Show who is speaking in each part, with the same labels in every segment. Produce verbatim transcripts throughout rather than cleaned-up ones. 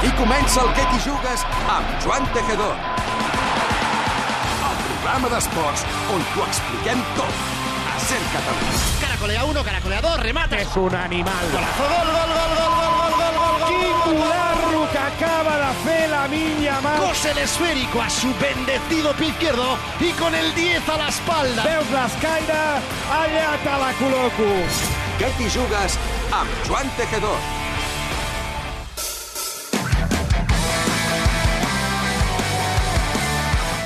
Speaker 1: Aquí comença el Què t'hi jugues amb Joan Tejedor. El programa d'esports on t'ho expliquem tot. A Ser Catalunya.
Speaker 2: Caracolea uno, caracolea dos, remate.
Speaker 3: És un animal.
Speaker 2: Golazo, gol, gol, gol, gol, gol, gol, gol, gol, gol.
Speaker 3: Quin golazo que acaba de fer Lamine Yamal.
Speaker 2: Cose el esférico a su bendecido pie izquierdo y con el diez a la espalda.
Speaker 3: Veus l'escaire? Allà te la col·loco.
Speaker 1: Què t'hi jugues amb Joan Tejedor.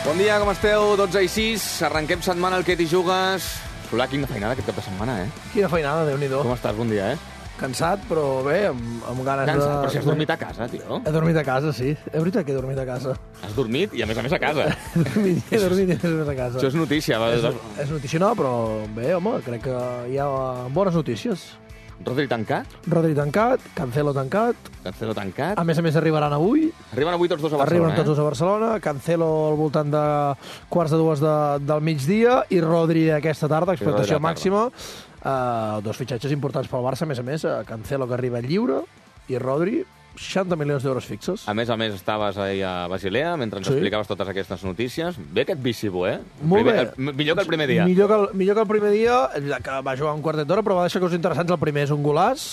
Speaker 4: Bon dia, com esteu? dotze i sis, arrenquem setmana al Què t'hi jugues. Solà, quina feinada aquest cap de setmana, eh?
Speaker 5: Quina feinada, Déu-n'hi-do.
Speaker 4: Com estàs? Bon dia, eh?
Speaker 5: Cansat, però bé, amb, amb ganes
Speaker 4: Cansat,
Speaker 5: de...
Speaker 4: però si has dormit a casa, tio.
Speaker 5: He dormit a casa, sí. És veritat que he dormit a casa.
Speaker 4: Has dormit i, a més a més, a casa.
Speaker 5: He dormit, he dormit i he dormit a casa.
Speaker 4: Això és notícia. Va,
Speaker 5: És, és notícia no, però bé, home, crec que hi ha bones notícies.
Speaker 4: Rodri tancat,
Speaker 5: Rodri tancat, Cancelo tancat.
Speaker 4: Cancelo tancat.
Speaker 5: A més a més, arribaran avui.
Speaker 4: Arriben avui tots dos a Barcelona,
Speaker 5: Arriben tots
Speaker 4: eh?
Speaker 5: dos a Barcelona. Cancelo al voltant de quarts de dues de, del migdia i Rodri aquesta tarda, expectació màxima. Uh, dos fitxatges importants pel Barça, a més a més. Uh, Cancelo, que arriba lliure, i Rodri, seixanta milions d'euros fixos.
Speaker 4: A més a més, estaves ahir a Basilea mentre ens
Speaker 5: Sí.
Speaker 4: explicaves totes aquestes notícies. Bé aquest bicibo, eh?
Speaker 5: Molt
Speaker 4: primer,
Speaker 5: bé.
Speaker 4: El, millor que el primer dia.
Speaker 5: Millor que el, millor que el primer dia, és veritat que va jugar un quartet d'hora, però va deixar coses interessants. El primer és un golaç,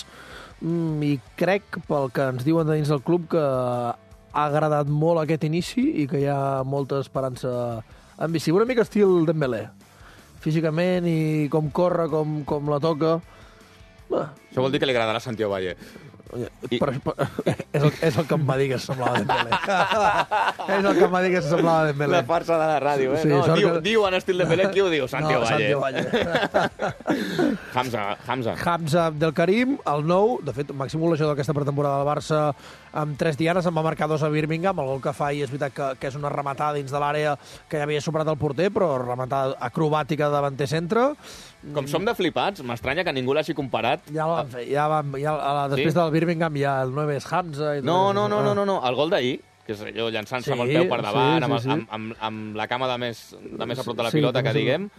Speaker 5: mm, i crec, pel que ens diuen de dins del club, que ha agradat molt aquest inici i que hi ha molta esperança en bici. Una mica estil Dembélé. Físicament i com corre, com, com la toca. Bah,
Speaker 4: Això vol dir que li agradarà a Santiago Valle. I-
Speaker 5: però, però, és, el, és el que em va dir que semblava Dembélé. És el que em va dir que semblava Dembélé.
Speaker 4: La farsa de la ràdio, eh?
Speaker 5: Sí,
Speaker 4: no,
Speaker 5: sort
Speaker 4: diu,
Speaker 5: que-
Speaker 4: diu en estil de Pelé, qui ho diu? Santiago
Speaker 5: no,
Speaker 4: Valle.
Speaker 5: Santiago Valle.
Speaker 4: Hamza, Hamza.
Speaker 5: Hamza Abdelkarim, el nou, de fet, màxim golejador d'aquesta pretemporada del Barça amb tres dianes, en va marcar dos a Birmingham, el gol que fa i és veritat que, que és una rematada dins de l'àrea que ja havia superat el porter, però rematada acrobàtica de davanter centre.
Speaker 4: Com som de flipats, m'estranya que ningú l'hagi comparat.
Speaker 5: Ja el van fer, ja van, ja, a la, després
Speaker 4: Sí?
Speaker 5: del Birmingham ja el nou és Hamza. I tot
Speaker 4: No,
Speaker 5: això.
Speaker 4: no, no, no, no, no. El gol d'ahir, que és allò llançant-se
Speaker 5: Sí,
Speaker 4: amb el peu per davant,
Speaker 5: sí,
Speaker 4: amb,
Speaker 5: sí, sí.
Speaker 4: amb, amb, amb la cama de més, de més a prop de la
Speaker 5: Sí,
Speaker 4: pilota,
Speaker 5: com
Speaker 4: que
Speaker 5: si-
Speaker 4: diguem,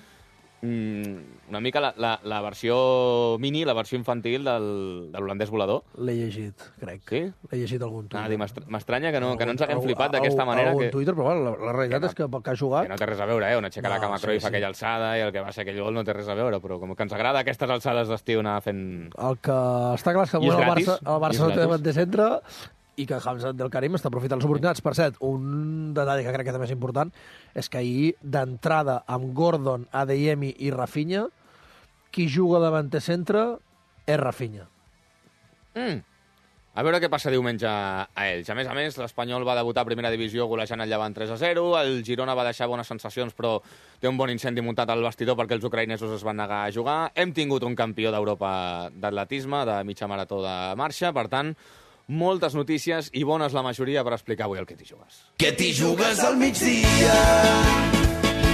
Speaker 4: mm, una mica la, la, la versió mini, la versió infantil del, de l'holandès volador.
Speaker 5: L'he llegit, crec.
Speaker 4: Sí?
Speaker 5: L'he llegit algun tuit.
Speaker 4: Ah, dir, m'estra- m'estranya que no, que no ens haguem
Speaker 5: Algun-
Speaker 4: flipat d'aquesta
Speaker 5: algun-
Speaker 4: manera.
Speaker 5: algun
Speaker 4: Que,
Speaker 5: Twitter, però bueno, la, la realitat
Speaker 4: Que no-
Speaker 5: és que pel que ha jugat...
Speaker 4: que no té res a veure, eh? On aixeca la
Speaker 5: No,
Speaker 4: cama
Speaker 5: sí,
Speaker 4: Cruyff
Speaker 5: sí.
Speaker 4: aquella alçada i el que va ser aquell gol no té res a veure, però com que ens agrada aquestes alçades d'estiu anar fent...
Speaker 5: El que està clar és que
Speaker 4: I és
Speaker 5: el
Speaker 4: gratis.
Speaker 5: Barça, el
Speaker 4: I és
Speaker 5: Barça no té
Speaker 4: gratis.
Speaker 5: davanter centre i que Hamza Abdelkarim està aprofitant les oportunitats. Per cert, un detall que crec que també és important és que ahir, d'entrada, amb Gordon, Adeyemi i Rafinha, qui juga davanter centre és Rafinha.
Speaker 4: Mm. A veure què passa diumenge a ells. A més a més, l'Espanyol va debutar a primera divisió golejant el Llevant tres a zero, el Girona va deixar bones sensacions, però té un bon incendi muntat al vestidor perquè els ucraïnesos es van negar a jugar. Hem tingut un campió d'Europa d'atletisme, de mitja marató de marxa, per tant, moltes notícies i bones la majoria per explicar avui el que t'hi jugues.
Speaker 6: Que t'hi jugues al migdia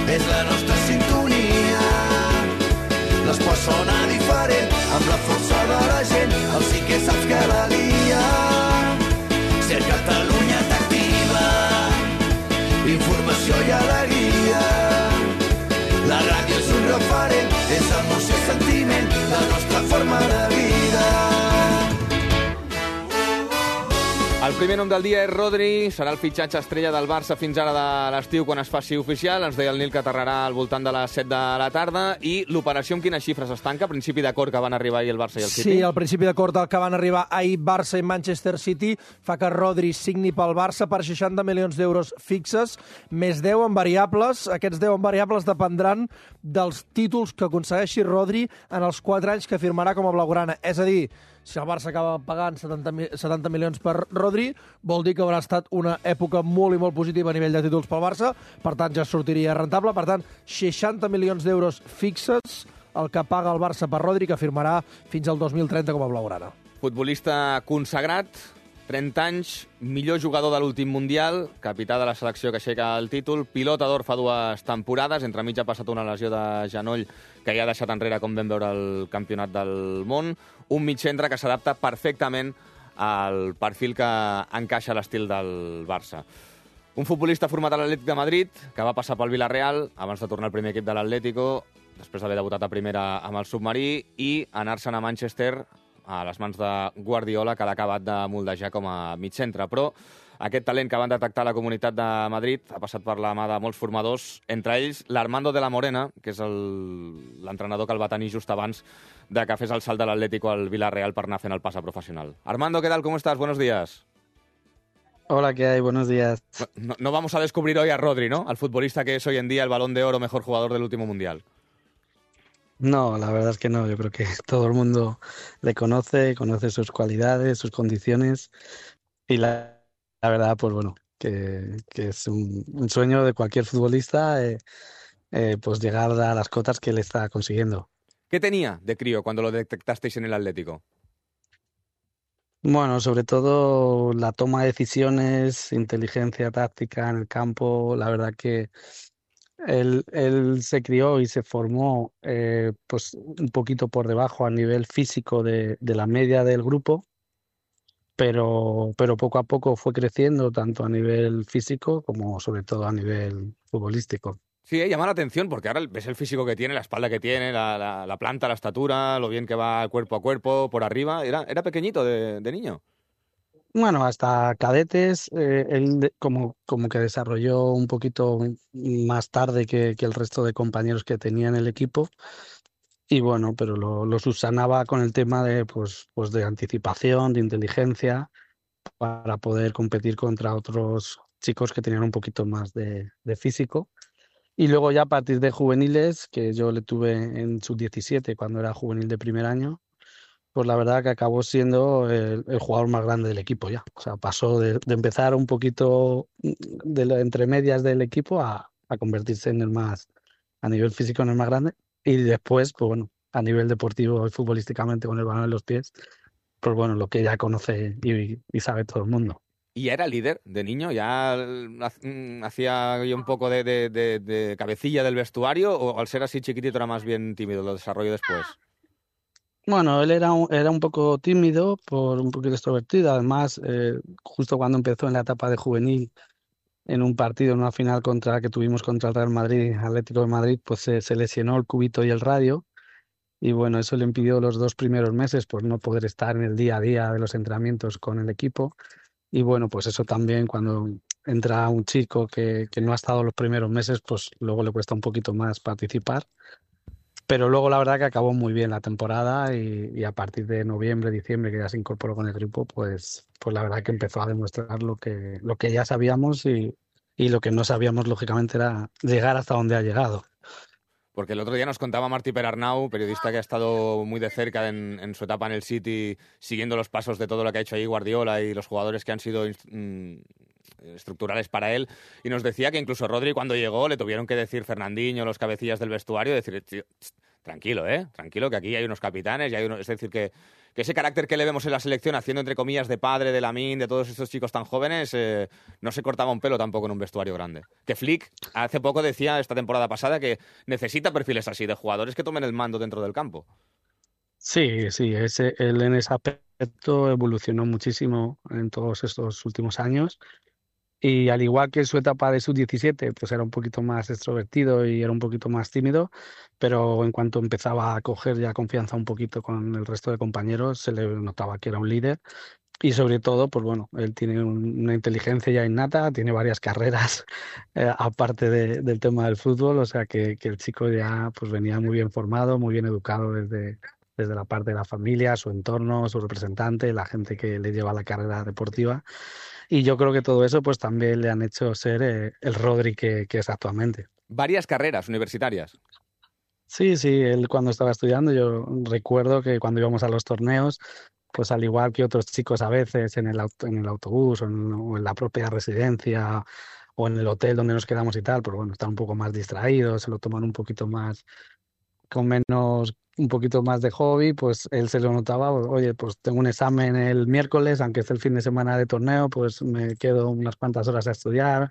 Speaker 6: és la nostra sintonia. L'esport sona diferent amb la força de la gent. El sí que saps que la lia. Ser Catalunya t'activa. Informació i alegria. La ràdio és un referent, és emoció i sentiment, la nostra forma de vida.
Speaker 4: El primer nom del dia és Rodri, serà el fitxatge estrella del Barça fins ara de l'estiu quan es faci oficial. Ens deia el Nil que aterrarà al voltant de les set de la tarda. I l'operació amb quines xifres es tanca? A principi d'acord que van arribar ahir el Barça i el City?
Speaker 5: Sí, al principi d'acord al que van arribar ahir Barça i Manchester City fa que Rodri signi pel Barça per seixanta milions d'euros fixes, més deu en variables. Aquests deu en variables dependran dels títols que aconsegueixi Rodri en els quatre anys que firmarà com a blaugrana. És a dir, si el Barça acaba pagant setanta milions per Rodri, vol dir que haurà estat una època molt i molt positiva a nivell de títols pel Barça, per tant ja sortiria rentable. Per tant, seixanta milions d'euros fixes el que paga el Barça per Rodri, que firmarà fins al dos mil trenta com a blaugrana.
Speaker 4: Futbolista consagrat, trenta anys, millor jugador de l'últim Mundial, capità de la selecció que aixeca el títol, pilota d'or fa dues temporades, entremig ha passat una lesió de genoll que ja ha deixat enrere, com vam veure, el campionat del món, un mig centre que s'adapta perfectament al perfil que encaixa a l'estil del Barça. Un futbolista format a l'Atlètic de Madrid, que va passar pel Villarreal abans de tornar al primer equip de l'Atlético, després d'haver debutat a primera amb el submarí, i anar-se'n a Manchester a les mans de Guardiola, que l'ha acabat de moldejar com a mig centre. Però aquest talent que van detectar a la Comunitat de Madrid ha passat per la mà de molts formadors, entre ells l'Armando de la Morena, que és l'entrenador que el va tenir just abans de que fes el salt de l'Atlético al Villarreal per anar fent el pas a professional. Armando, ¿qué tal? ¿Cómo estás? Buenos días.
Speaker 7: Hola, ¿qué hay? Buenos días.
Speaker 4: No, no vamos a descubrir hoy a Rodri, ¿no? Al futbolista que es hoy en día el Balón de Oro, mejor jugador del último Mundial.
Speaker 7: No, la verdad es que no. Yo creo que todo el mundo le conoce, conoce sus cualidades, sus condiciones y la, la verdad, pues bueno, que, que es un, un sueño de cualquier futbolista eh, eh, pues llegar a las cotas que él está consiguiendo.
Speaker 4: ¿Qué tenía de crío cuando lo detectasteis en el Atlético?
Speaker 7: Bueno, sobre todo la toma de decisiones, inteligencia táctica en el campo, la verdad que él, él se crió y se formó eh, pues un poquito por debajo a nivel físico de, de la media del grupo, pero, pero poco a poco fue creciendo tanto a nivel físico como sobre todo a nivel futbolístico.
Speaker 4: Sí, eh, llama la atención porque ahora ves el físico que tiene, la espalda que tiene, la, la, la planta, la estatura, lo bien que va cuerpo a cuerpo, por arriba. Era, era pequeñito de, de niño.
Speaker 7: Bueno, hasta cadetes, eh, él de- como, como que desarrolló un poquito más tarde que, que el resto de compañeros que tenía en el equipo. Y bueno, pero lo, lo subsanaba con el tema de, pues, pues de anticipación, de inteligencia, para poder competir contra otros chicos que tenían un poquito más de, de físico. Y luego ya a partir de juveniles, que yo le tuve en sub diecisiete cuando era juvenil de primer año, pues la verdad que acabó siendo el, el jugador más grande del equipo ya. O sea, pasó de, de empezar un poquito de la- entre medias del equipo a, a convertirse en el más, a nivel físico, en el más grande. Y después, pues bueno, a nivel deportivo y futbolísticamente con el balón en los pies, pues bueno, lo que ya conoce y, y sabe todo el mundo.
Speaker 4: Y ya era líder de niño, ya mm, hacía yo un poco de, de, de, de cabecilla del vestuario, o al ser así chiquitito era más bien tímido, lo desarrolló después.
Speaker 7: Bueno, él era un, era un poco tímido, por un poquito extrovertido. Además, eh, justo cuando empezó en la etapa de juvenil, en un partido, en una final contra que tuvimos contra el Real Madrid, Atlético de Madrid, pues se, se lesionó el cúbito y el radio. Y bueno, eso le impidió los dos primeros meses pues no poder estar en el día a día de los entrenamientos con el equipo. Y bueno, pues eso también cuando entra un chico que, que no ha estado los primeros meses, pues luego le cuesta un poquito más participar. Pero luego la verdad que acabó muy bien la temporada y, y a partir de noviembre, diciembre, que ya se incorporó con el grupo, pues, pues la verdad que empezó a demostrar lo que, lo que ya sabíamos y, y lo que no sabíamos, lógicamente, era llegar hasta donde ha llegado.
Speaker 4: Porque el otro día nos contaba Martí Perarnau, periodista que ha estado muy de cerca en, en su etapa en el City, siguiendo los pasos de todo lo que ha hecho ahí Guardiola y los jugadores que han sido mm, estructurales para él, y nos decía que incluso Rodri cuando llegó le tuvieron que decir Fernandinho, los cabecillas del vestuario, decir, "Tío, tranquilo, ¿eh? Tranquilo, que aquí hay unos capitanes y hay unos... Es decir, que, que ese carácter que le vemos en la selección, haciendo entre comillas de padre, de Lamine, de todos estos chicos tan jóvenes, eh, no se cortaba un pelo tampoco en un vestuario grande. Que Flick hace poco decía, esta temporada pasada, que necesita perfiles así, de jugadores que tomen el mando dentro del campo.
Speaker 7: Sí, sí, ese, él en ese aspecto evolucionó muchísimo en todos estos últimos años. Y al igual que en su etapa de sub diecisiete, pues era un poquito más extrovertido y era un poquito más tímido, pero en cuanto empezaba a coger ya confianza un poquito con el resto de compañeros, se le notaba que era un líder. Y sobre todo, pues bueno, él tiene un- una inteligencia ya innata, tiene varias carreras eh, aparte de- del tema del fútbol, o sea que, que el chico ya pues venía muy bien formado, muy bien educado desde, desde la parte de la familia, su entorno, su representante, la gente que le lleva la carrera deportiva. Y yo creo que todo eso pues también le han hecho ser eh, el Rodri que, que es actualmente.
Speaker 4: Varias carreras universitarias.
Speaker 7: Sí, sí, él cuando estaba estudiando, yo recuerdo que cuando íbamos a los torneos, pues al igual que otros chicos a veces en el, auto- en el autobús o en, o en la propia residencia o en el hotel donde nos quedamos y tal, pues bueno, están un poco más distraídos, se lo toman un poquito más, con menos, un poquito más de hobby, pues él se lo notaba, oye, pues tengo un examen el miércoles, aunque es el fin de semana de torneo, pues me quedo unas cuantas horas a estudiar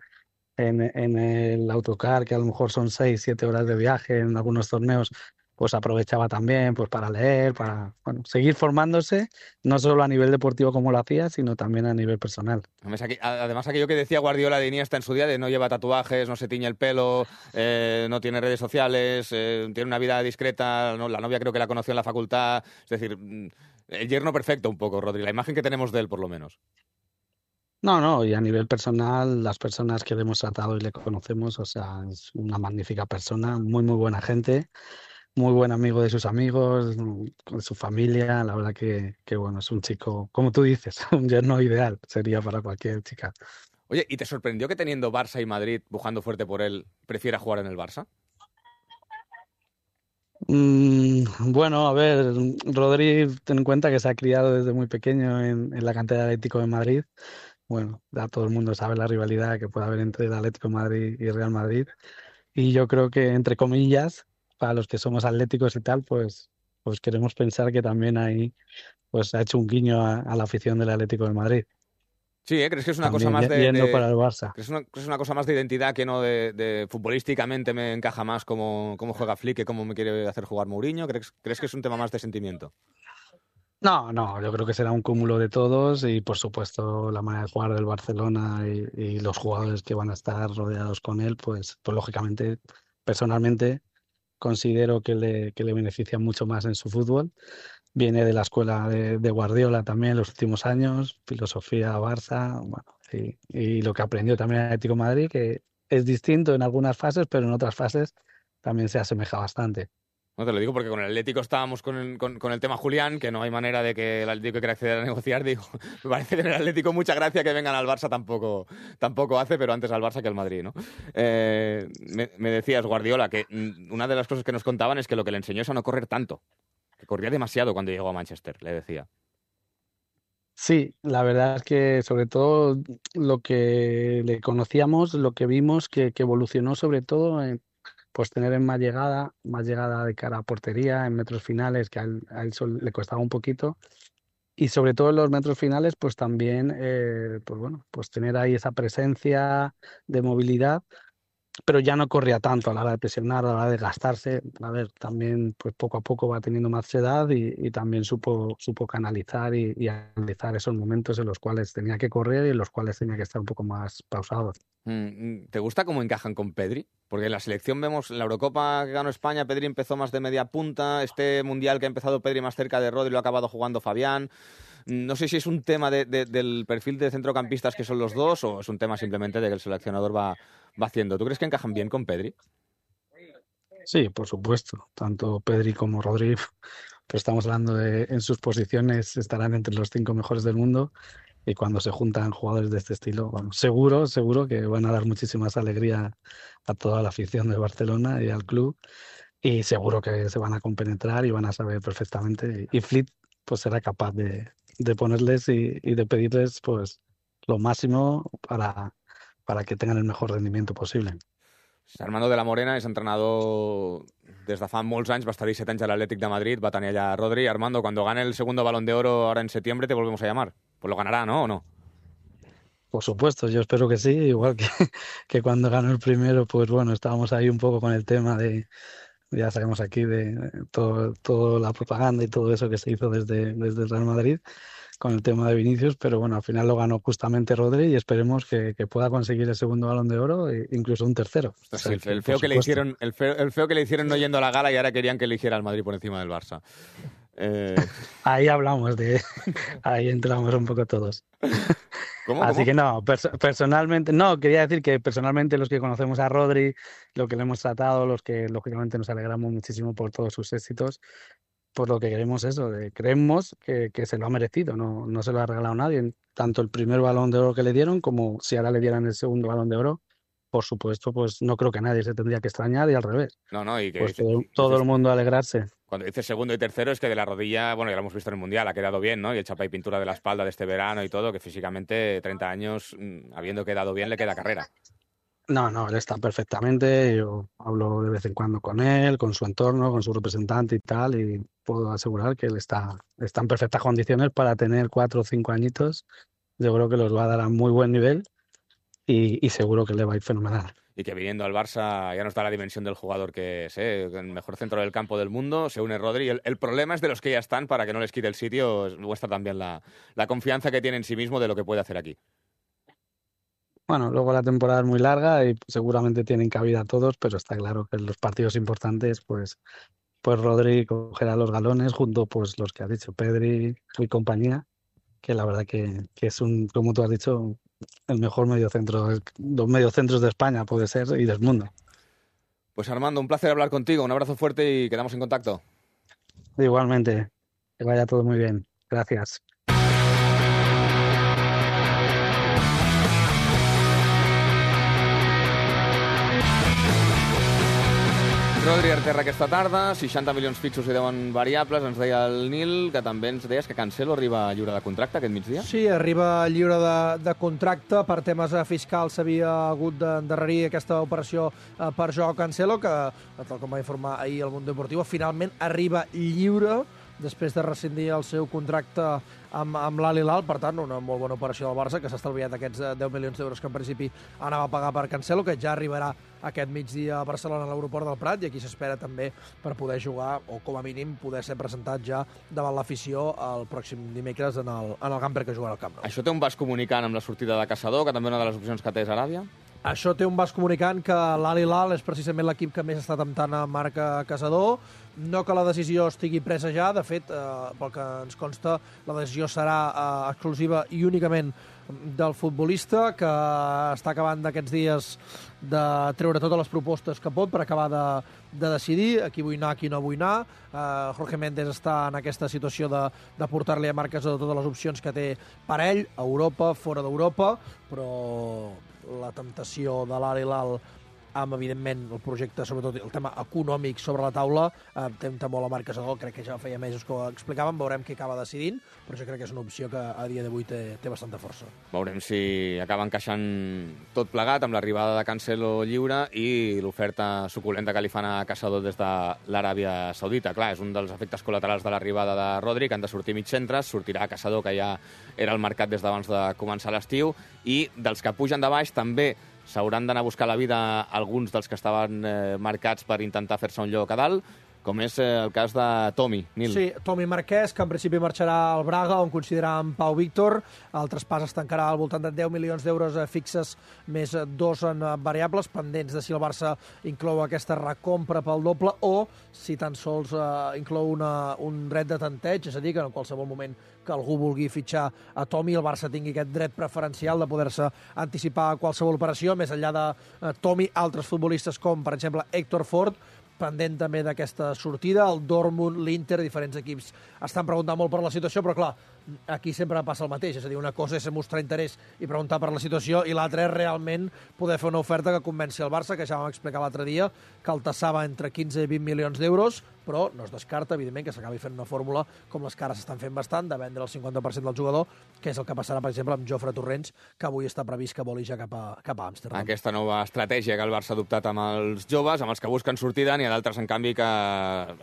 Speaker 7: en, en el autocar, que a lo mejor son seis, siete horas de viaje en algunos torneos, pues aprovechaba también pues para leer, para bueno, seguir formándose, no solo a nivel deportivo como lo hacía, sino también a nivel personal.
Speaker 4: Además, aqu- además, aquello que decía Guardiola de Iniesta en su día, de no lleva tatuajes, no se tiñe el pelo, eh, no tiene redes sociales, eh, tiene una vida discreta, ¿no? La novia creo que la conoció en la facultad, es decir, mm, El yerno perfecto un poco, Rodri, la imagen que tenemos de él, por lo menos.
Speaker 7: No, no, y a nivel personal, las personas que le hemos tratado y le conocemos, o sea, es una magnífica persona, muy, muy buena gente, muy buen amigo de sus amigos, con su familia. La verdad que, que, bueno, es un chico, como tú dices, un yerno ideal, sería para cualquier chica.
Speaker 4: Oye, ¿y te sorprendió que teniendo Barça y Madrid pujando fuerte por él, prefiera jugar en el Barça?
Speaker 7: Mm, bueno, a ver, Rodri, ten en cuenta que se ha criado desde muy pequeño en, en la cantera de Atlético de Madrid. Bueno, ya todo el mundo sabe la rivalidad que puede haber entre el Atlético de Madrid y Real Madrid. Y yo creo que, entre comillas, para los que somos atléticos y tal, pues, pues queremos pensar que también ahí pues ha hecho un guiño a, a la afición del Atlético de Madrid.
Speaker 4: Sí, ¿eh? ¿Crees que es una
Speaker 7: También
Speaker 4: cosa más de,
Speaker 7: yendo
Speaker 4: de...
Speaker 7: para el Barça.
Speaker 4: ¿Crees una, que es una cosa más de identidad que no de, de futbolísticamente me encaja más cómo, cómo juega Flick que cómo me quiere hacer jugar Mourinho? ¿Crees, ¿Crees que es un tema más de sentimiento?
Speaker 7: No, no, yo creo que será un cúmulo de todos y, por supuesto, la manera de jugar del Barcelona y, y los jugadores que van a estar rodeados con él, pues, pues lógicamente, personalmente, considero que le, que le beneficia mucho más en su fútbol. Viene de la escuela de, de Guardiola también en los últimos años, filosofía Barça, bueno, y, y lo que aprendió también en Atlético de Madrid, que es distinto en algunas fases, pero en otras fases también se asemeja bastante.
Speaker 4: No te lo digo porque con el Atlético estábamos con el, con, con el tema Julián, que no hay manera de que el Atlético quiera acceder a negociar. Digo, me parece que en el Atlético mucha gracia que vengan al Barça tampoco, tampoco hace, pero antes al Barça que al Madrid, ¿no? Eh, me, me decías, Guardiola, que una de las cosas que nos contaban es que lo que le enseñó es a no correr tanto, que corría demasiado cuando llegó a Manchester, le decía.
Speaker 7: Sí, la verdad es que sobre todo lo que le conocíamos, lo que vimos que, que evolucionó sobre todo en pues tener en más llegada, más llegada de cara a portería, en metros finales, que a él, a él sol- le costaba un poquito. Y sobre todo en los metros finales, pues también, eh, pues bueno, pues tener ahí esa presencia de movilidad, pero ya no corría tanto a la hora de presionar, a la hora de gastarse. A ver, también pues poco a poco va teniendo más edad y, y también supo, supo canalizar y, y analizar esos momentos en los cuales tenía que correr y en los cuales tenía que estar un poco más pausado.
Speaker 4: Mm, ¿Te gusta cómo encajan con Pedri? Porque en la selección vemos, en la Eurocopa que ganó España, Pedri empezó más de media punta, este Mundial que ha empezado Pedri más cerca de Rodri lo ha acabado jugando Fabián. No sé si es un tema de, de, del perfil de centrocampistas que son los dos o es un tema simplemente de que el seleccionador va, va haciendo. ¿Tú crees que encajan bien con Pedri?
Speaker 7: Sí, por supuesto. Tanto Pedri como Rodri, pues estamos hablando de en sus posiciones estarán entre los cinco mejores del mundo y cuando se juntan jugadores de este estilo, bueno, seguro, seguro que van a dar muchísimas alegría a toda la afición de Barcelona y al club y seguro que se van a compenetrar y van a saber perfectamente y Flick pues será capaz de, de ponerles y, y de pedirles pues lo máximo para, para que tengan el mejor rendimiento posible.
Speaker 4: Armando de la Morena és entrenador des de fa molts anys, va estar disset anys a l'Atlètic de Madrid, va tenir allà Rodri. Armando, cuando gane el segundo Balón de Oro ahora en septiembre te volvemos a llamar. Pues lo ganará, ¿no? ¿O no?
Speaker 7: Por supuesto, yo espero que sí, igual que, que cuando ganó el primero, pues bueno, estábamos ahí un poco con el tema de, ya sabemos aquí, de todo, toda la propaganda y todo eso que se hizo desde, desde el Real Madrid con el tema de Vinicius, pero bueno, al final lo ganó justamente Rodri y esperemos que, que pueda conseguir el segundo Balón de Oro e incluso un tercero. O sea,
Speaker 4: el,
Speaker 7: que,
Speaker 4: el, feo que le
Speaker 7: supuesto.
Speaker 4: hicieron, el, feo, el feo que le hicieron no yendo a la gala y ahora querían que eligiera al Madrid por encima del Barça. Eh...
Speaker 7: Ahí hablamos de... Ahí entramos un poco todos.
Speaker 4: ¿Cómo,
Speaker 7: Así
Speaker 4: cómo?
Speaker 7: que no, pers personalmente, no, quería decir que personalmente los que conocemos a Rodri, lo que le hemos tratado, los que lógicamente nos alegramos muchísimo por todos sus éxitos, por lo que queremos eso, de, creemos que, que se lo ha merecido, no, no se lo ha regalado nadie, tanto el primer Balón de Oro que le dieron como si ahora le dieran el segundo Balón de Oro, por supuesto, pues no creo que nadie se tendría que extrañar y al revés.
Speaker 4: No, no, y que
Speaker 7: pues
Speaker 4: dices,
Speaker 7: todo, todo
Speaker 4: dices,
Speaker 7: el mundo alegrarse.
Speaker 4: Cuando dices segundo y tercero es que de la rodilla, bueno, ya lo hemos visto en el Mundial, ha quedado bien, ¿no? Y el chapa y pintura de la espalda de este verano y todo, que físicamente treinta años, mmm, habiendo quedado bien, le queda carrera.
Speaker 7: No, no, él está perfectamente, yo hablo de vez en cuando con él, con su entorno, con su representante y tal, y puedo asegurar que él está, está en perfectas condiciones para tener cuatro o cinco añitos. Yo creo que los va a dar a muy buen nivel y, y seguro que le va a ir fenomenal.
Speaker 4: Y que viniendo al Barça ya nos da la dimensión del jugador que es, ¿eh? El mejor centro del campo del mundo, se une Rodri. El, el problema es de los que ya están, para que no les quite el sitio, muestra también la, la confianza que tiene en sí mismo de lo que puede hacer aquí.
Speaker 7: Bueno, luego la temporada es muy larga y seguramente tienen cabida todos, pero está claro que en los partidos importantes, pues pues Rodri cogerá los galones junto pues los que has dicho, Pedri y compañía, que la verdad que, que es un, como tú has dicho, el mejor mediocentro, los mediocentros de España puede ser y del mundo.
Speaker 4: Pues Armando, un placer hablar contigo, un abrazo fuerte y quedamos en contacto.
Speaker 7: Igualmente, que vaya todo muy bien. Gracias.
Speaker 4: Rodri Arterra aquesta tarda, seixanta milions fixos i deu variables. Ens deia el Nil, que també ens deies que Cancelo arriba lliure de contracte aquest migdia.
Speaker 5: Sí, arriba lliure de, de contracte. Per temes fiscals s'havia hagut d'endarrerir aquesta operació eh, per Joao Cancelo, que, tal com va informar ahir el Mundo Deportivo, finalment arriba lliure després de rescindir el seu contracte amb, amb l'Al Hilal. Per tant, una molt bona operació del Barça, que s'ha estalviat aquests deu milions d'euros que en principi anava a pagar per Cancelo, que ja arribarà aquest migdia a Barcelona a l'aeroport del Prat, i aquí s'espera també per poder jugar, o com a mínim poder ser presentat ja davant l'afició el pròxim dimecres en el, en el camper que jugarà al Camp Nou.
Speaker 4: Això té un vas comunicant amb la sortida de Caçador, que també una de les opcions que té és Aràbia?
Speaker 5: Això té un vas comunicant que l'Al Hilal és precisament l'equip que més està temptant a Marc Caçador. No que la decisió estigui presa ja, de fet, eh, pel que ens consta, la decisió serà eh, exclusiva i únicament del futbolista, que està acabant d'aquests dies de treure totes les propostes que pot per acabar de, de decidir a qui vull anar, a qui no vull anar. Eh, Jorge Méndez està en aquesta situació de, de portar-li a Marc Caçador totes les opcions que té per ell, a Europa, fora d'Europa, però la temptació de l'Al Hilal amb, evidentment, el projecte, sobretot el tema econòmic sobre la taula, eh, tempta molt a Marc Caçador, crec que ja feia mesos que ho explicàvem, veurem qui acaba decidint, però jo crec que és una opció que a dia d'avui té, té bastanta força.
Speaker 4: Veurem si acaba encaixant tot plegat amb l'arribada de Cancelo lliure i l'oferta suculenta que li fan a Caçador des de l'Aràbia Saudita. Clar, és un dels efectes col·laterals de l'arribada de Rodri, que han de sortir mig centres, sortirà Caçador, que ja era al mercat des d'abans de començar l'estiu, i dels que pugen de baix també s'hauran d'anar a buscar la vida alguns dels que estaven eh, marcats per intentar fer-se un lloc a dalt, com és eh, el cas de Tomi, Nil.
Speaker 5: Sí, Tomi Marquès, que en principi marxarà al Braga, on consideràvem Pau Víctor. El traspàs es tancarà al voltant de deu milions d'euros fixes, més dos en variables, pendents de si el Barça inclou aquesta recompra pel doble o si tan sols eh, inclou una, un dret de tanteig, és a dir, que en qualsevol moment que algú vulgui fitxar a Tomi, el Barça tingui aquest dret preferencial de poder-se anticipar a qualsevol operació. Més enllà de eh, Tomi, altres futbolistes com, per exemple, Héctor Ford, pendent també d'aquesta sortida, el Dortmund, l'Inter, diferents equips estan preguntant molt per la situació, però clar, aquí sempre passa el mateix, és a dir, una cosa és mostrar interès i preguntar per la situació, i l'altra és realment poder fer una oferta que convenci el Barça, que ja vam explicar l'altre dia, que el tassava entre quinze i vint milions d'euros, però no es descarta, evidentment, que s'acabi fent una fórmula com les que ara s'estan fent bastant, de vendre el cinquanta per cent del jugador, que és el que passarà, per exemple, amb Jofre Torrents, que avui està previst que voli ja cap a, cap a Amsterdam.
Speaker 4: Aquesta nova estratègia que el Barça ha adoptat amb els joves, amb els que busquen sortida, n'hi ha d'altres, en canvi, que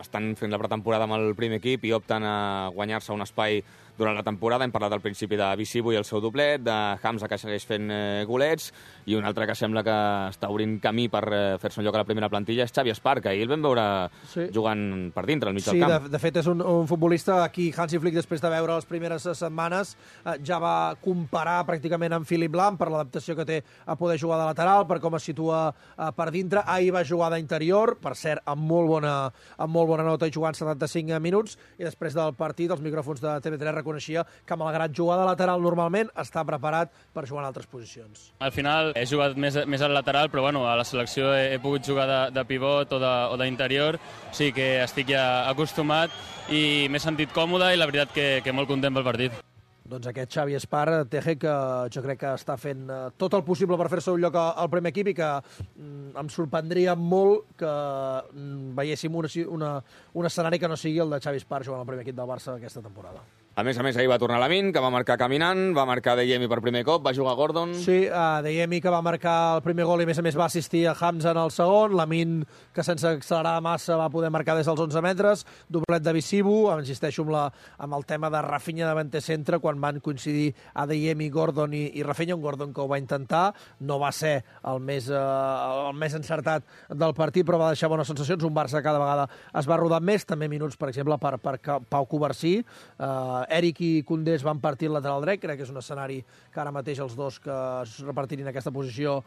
Speaker 4: estan fent la pretemporada amb el primer equip i opten a guanyar-se un espai durant la temporada. Hem parlat al principi de Visibo i el seu doblet, de Hamza, que segueix fent eh, golets, i un altre que sembla que està obrint camí per eh, fer-se un lloc a la primera plantilla és Xavi Espar, que ahir el vam veure sí. jugant per dintre, al mig
Speaker 5: sí,
Speaker 4: del camp.
Speaker 5: Sí, de, de fet és un, un futbolista aquí, Hansi Flick, després de veure les primeres setmanes, eh, ja va comparar pràcticament amb Philipp Lahm per l'adaptació que té a poder jugar de lateral, per com es situa eh, per dintre. Ahir va jugar d'interior, per cert, amb molt bona, amb molt bona nota i jugant setanta-cinc minuts, i després del partit els micròfons de T V tres reconeixia que, malgrat jugar de lateral normalment, està preparat per jugar en altres posicions.
Speaker 8: Al final he jugat més, més al lateral, però bueno, a la selecció he, he pogut jugar de, de pivot o d'interior, o sigui que estic ja acostumat i m'he sentit còmode i la veritat que, que molt content pel partit.
Speaker 5: Doncs aquest Xavi Espar, Teje, que jo crec que està fent tot el possible per fer-se un lloc al primer equip i que mm, em sorprendria molt que mm, veiéssim una, una, un escenari que no sigui el de Xavi Espar jugant al primer equip del Barça aquesta temporada.
Speaker 4: A més a més, ahir va tornar Lamine, que va marcar caminant, va marcar Deyemi per primer cop, va jugar Gordon...
Speaker 5: Sí, uh, Deyemi, que va marcar el primer gol i, a més a més, va assistir a Hamza en el segon, Lamine, que sense accelerar massa va poder marcar des dels onze metres, doblet de Visibo, insisteixo amb, la, amb el tema de Rafinha davant centre, quan van coincidir a Deyemi, Gordon i, i Rafinha, un Gordon que ho va intentar, no va ser el més, uh, el més encertat del partit, però va deixar bones sensacions, un Barça cada vegada es va rodar més, també minuts, per exemple, per, per Pau Covarsí, uh, Eric i Koundé es van partir el lateral dret, crec que és un escenari que ara mateix els dos que es repartirin aquesta posició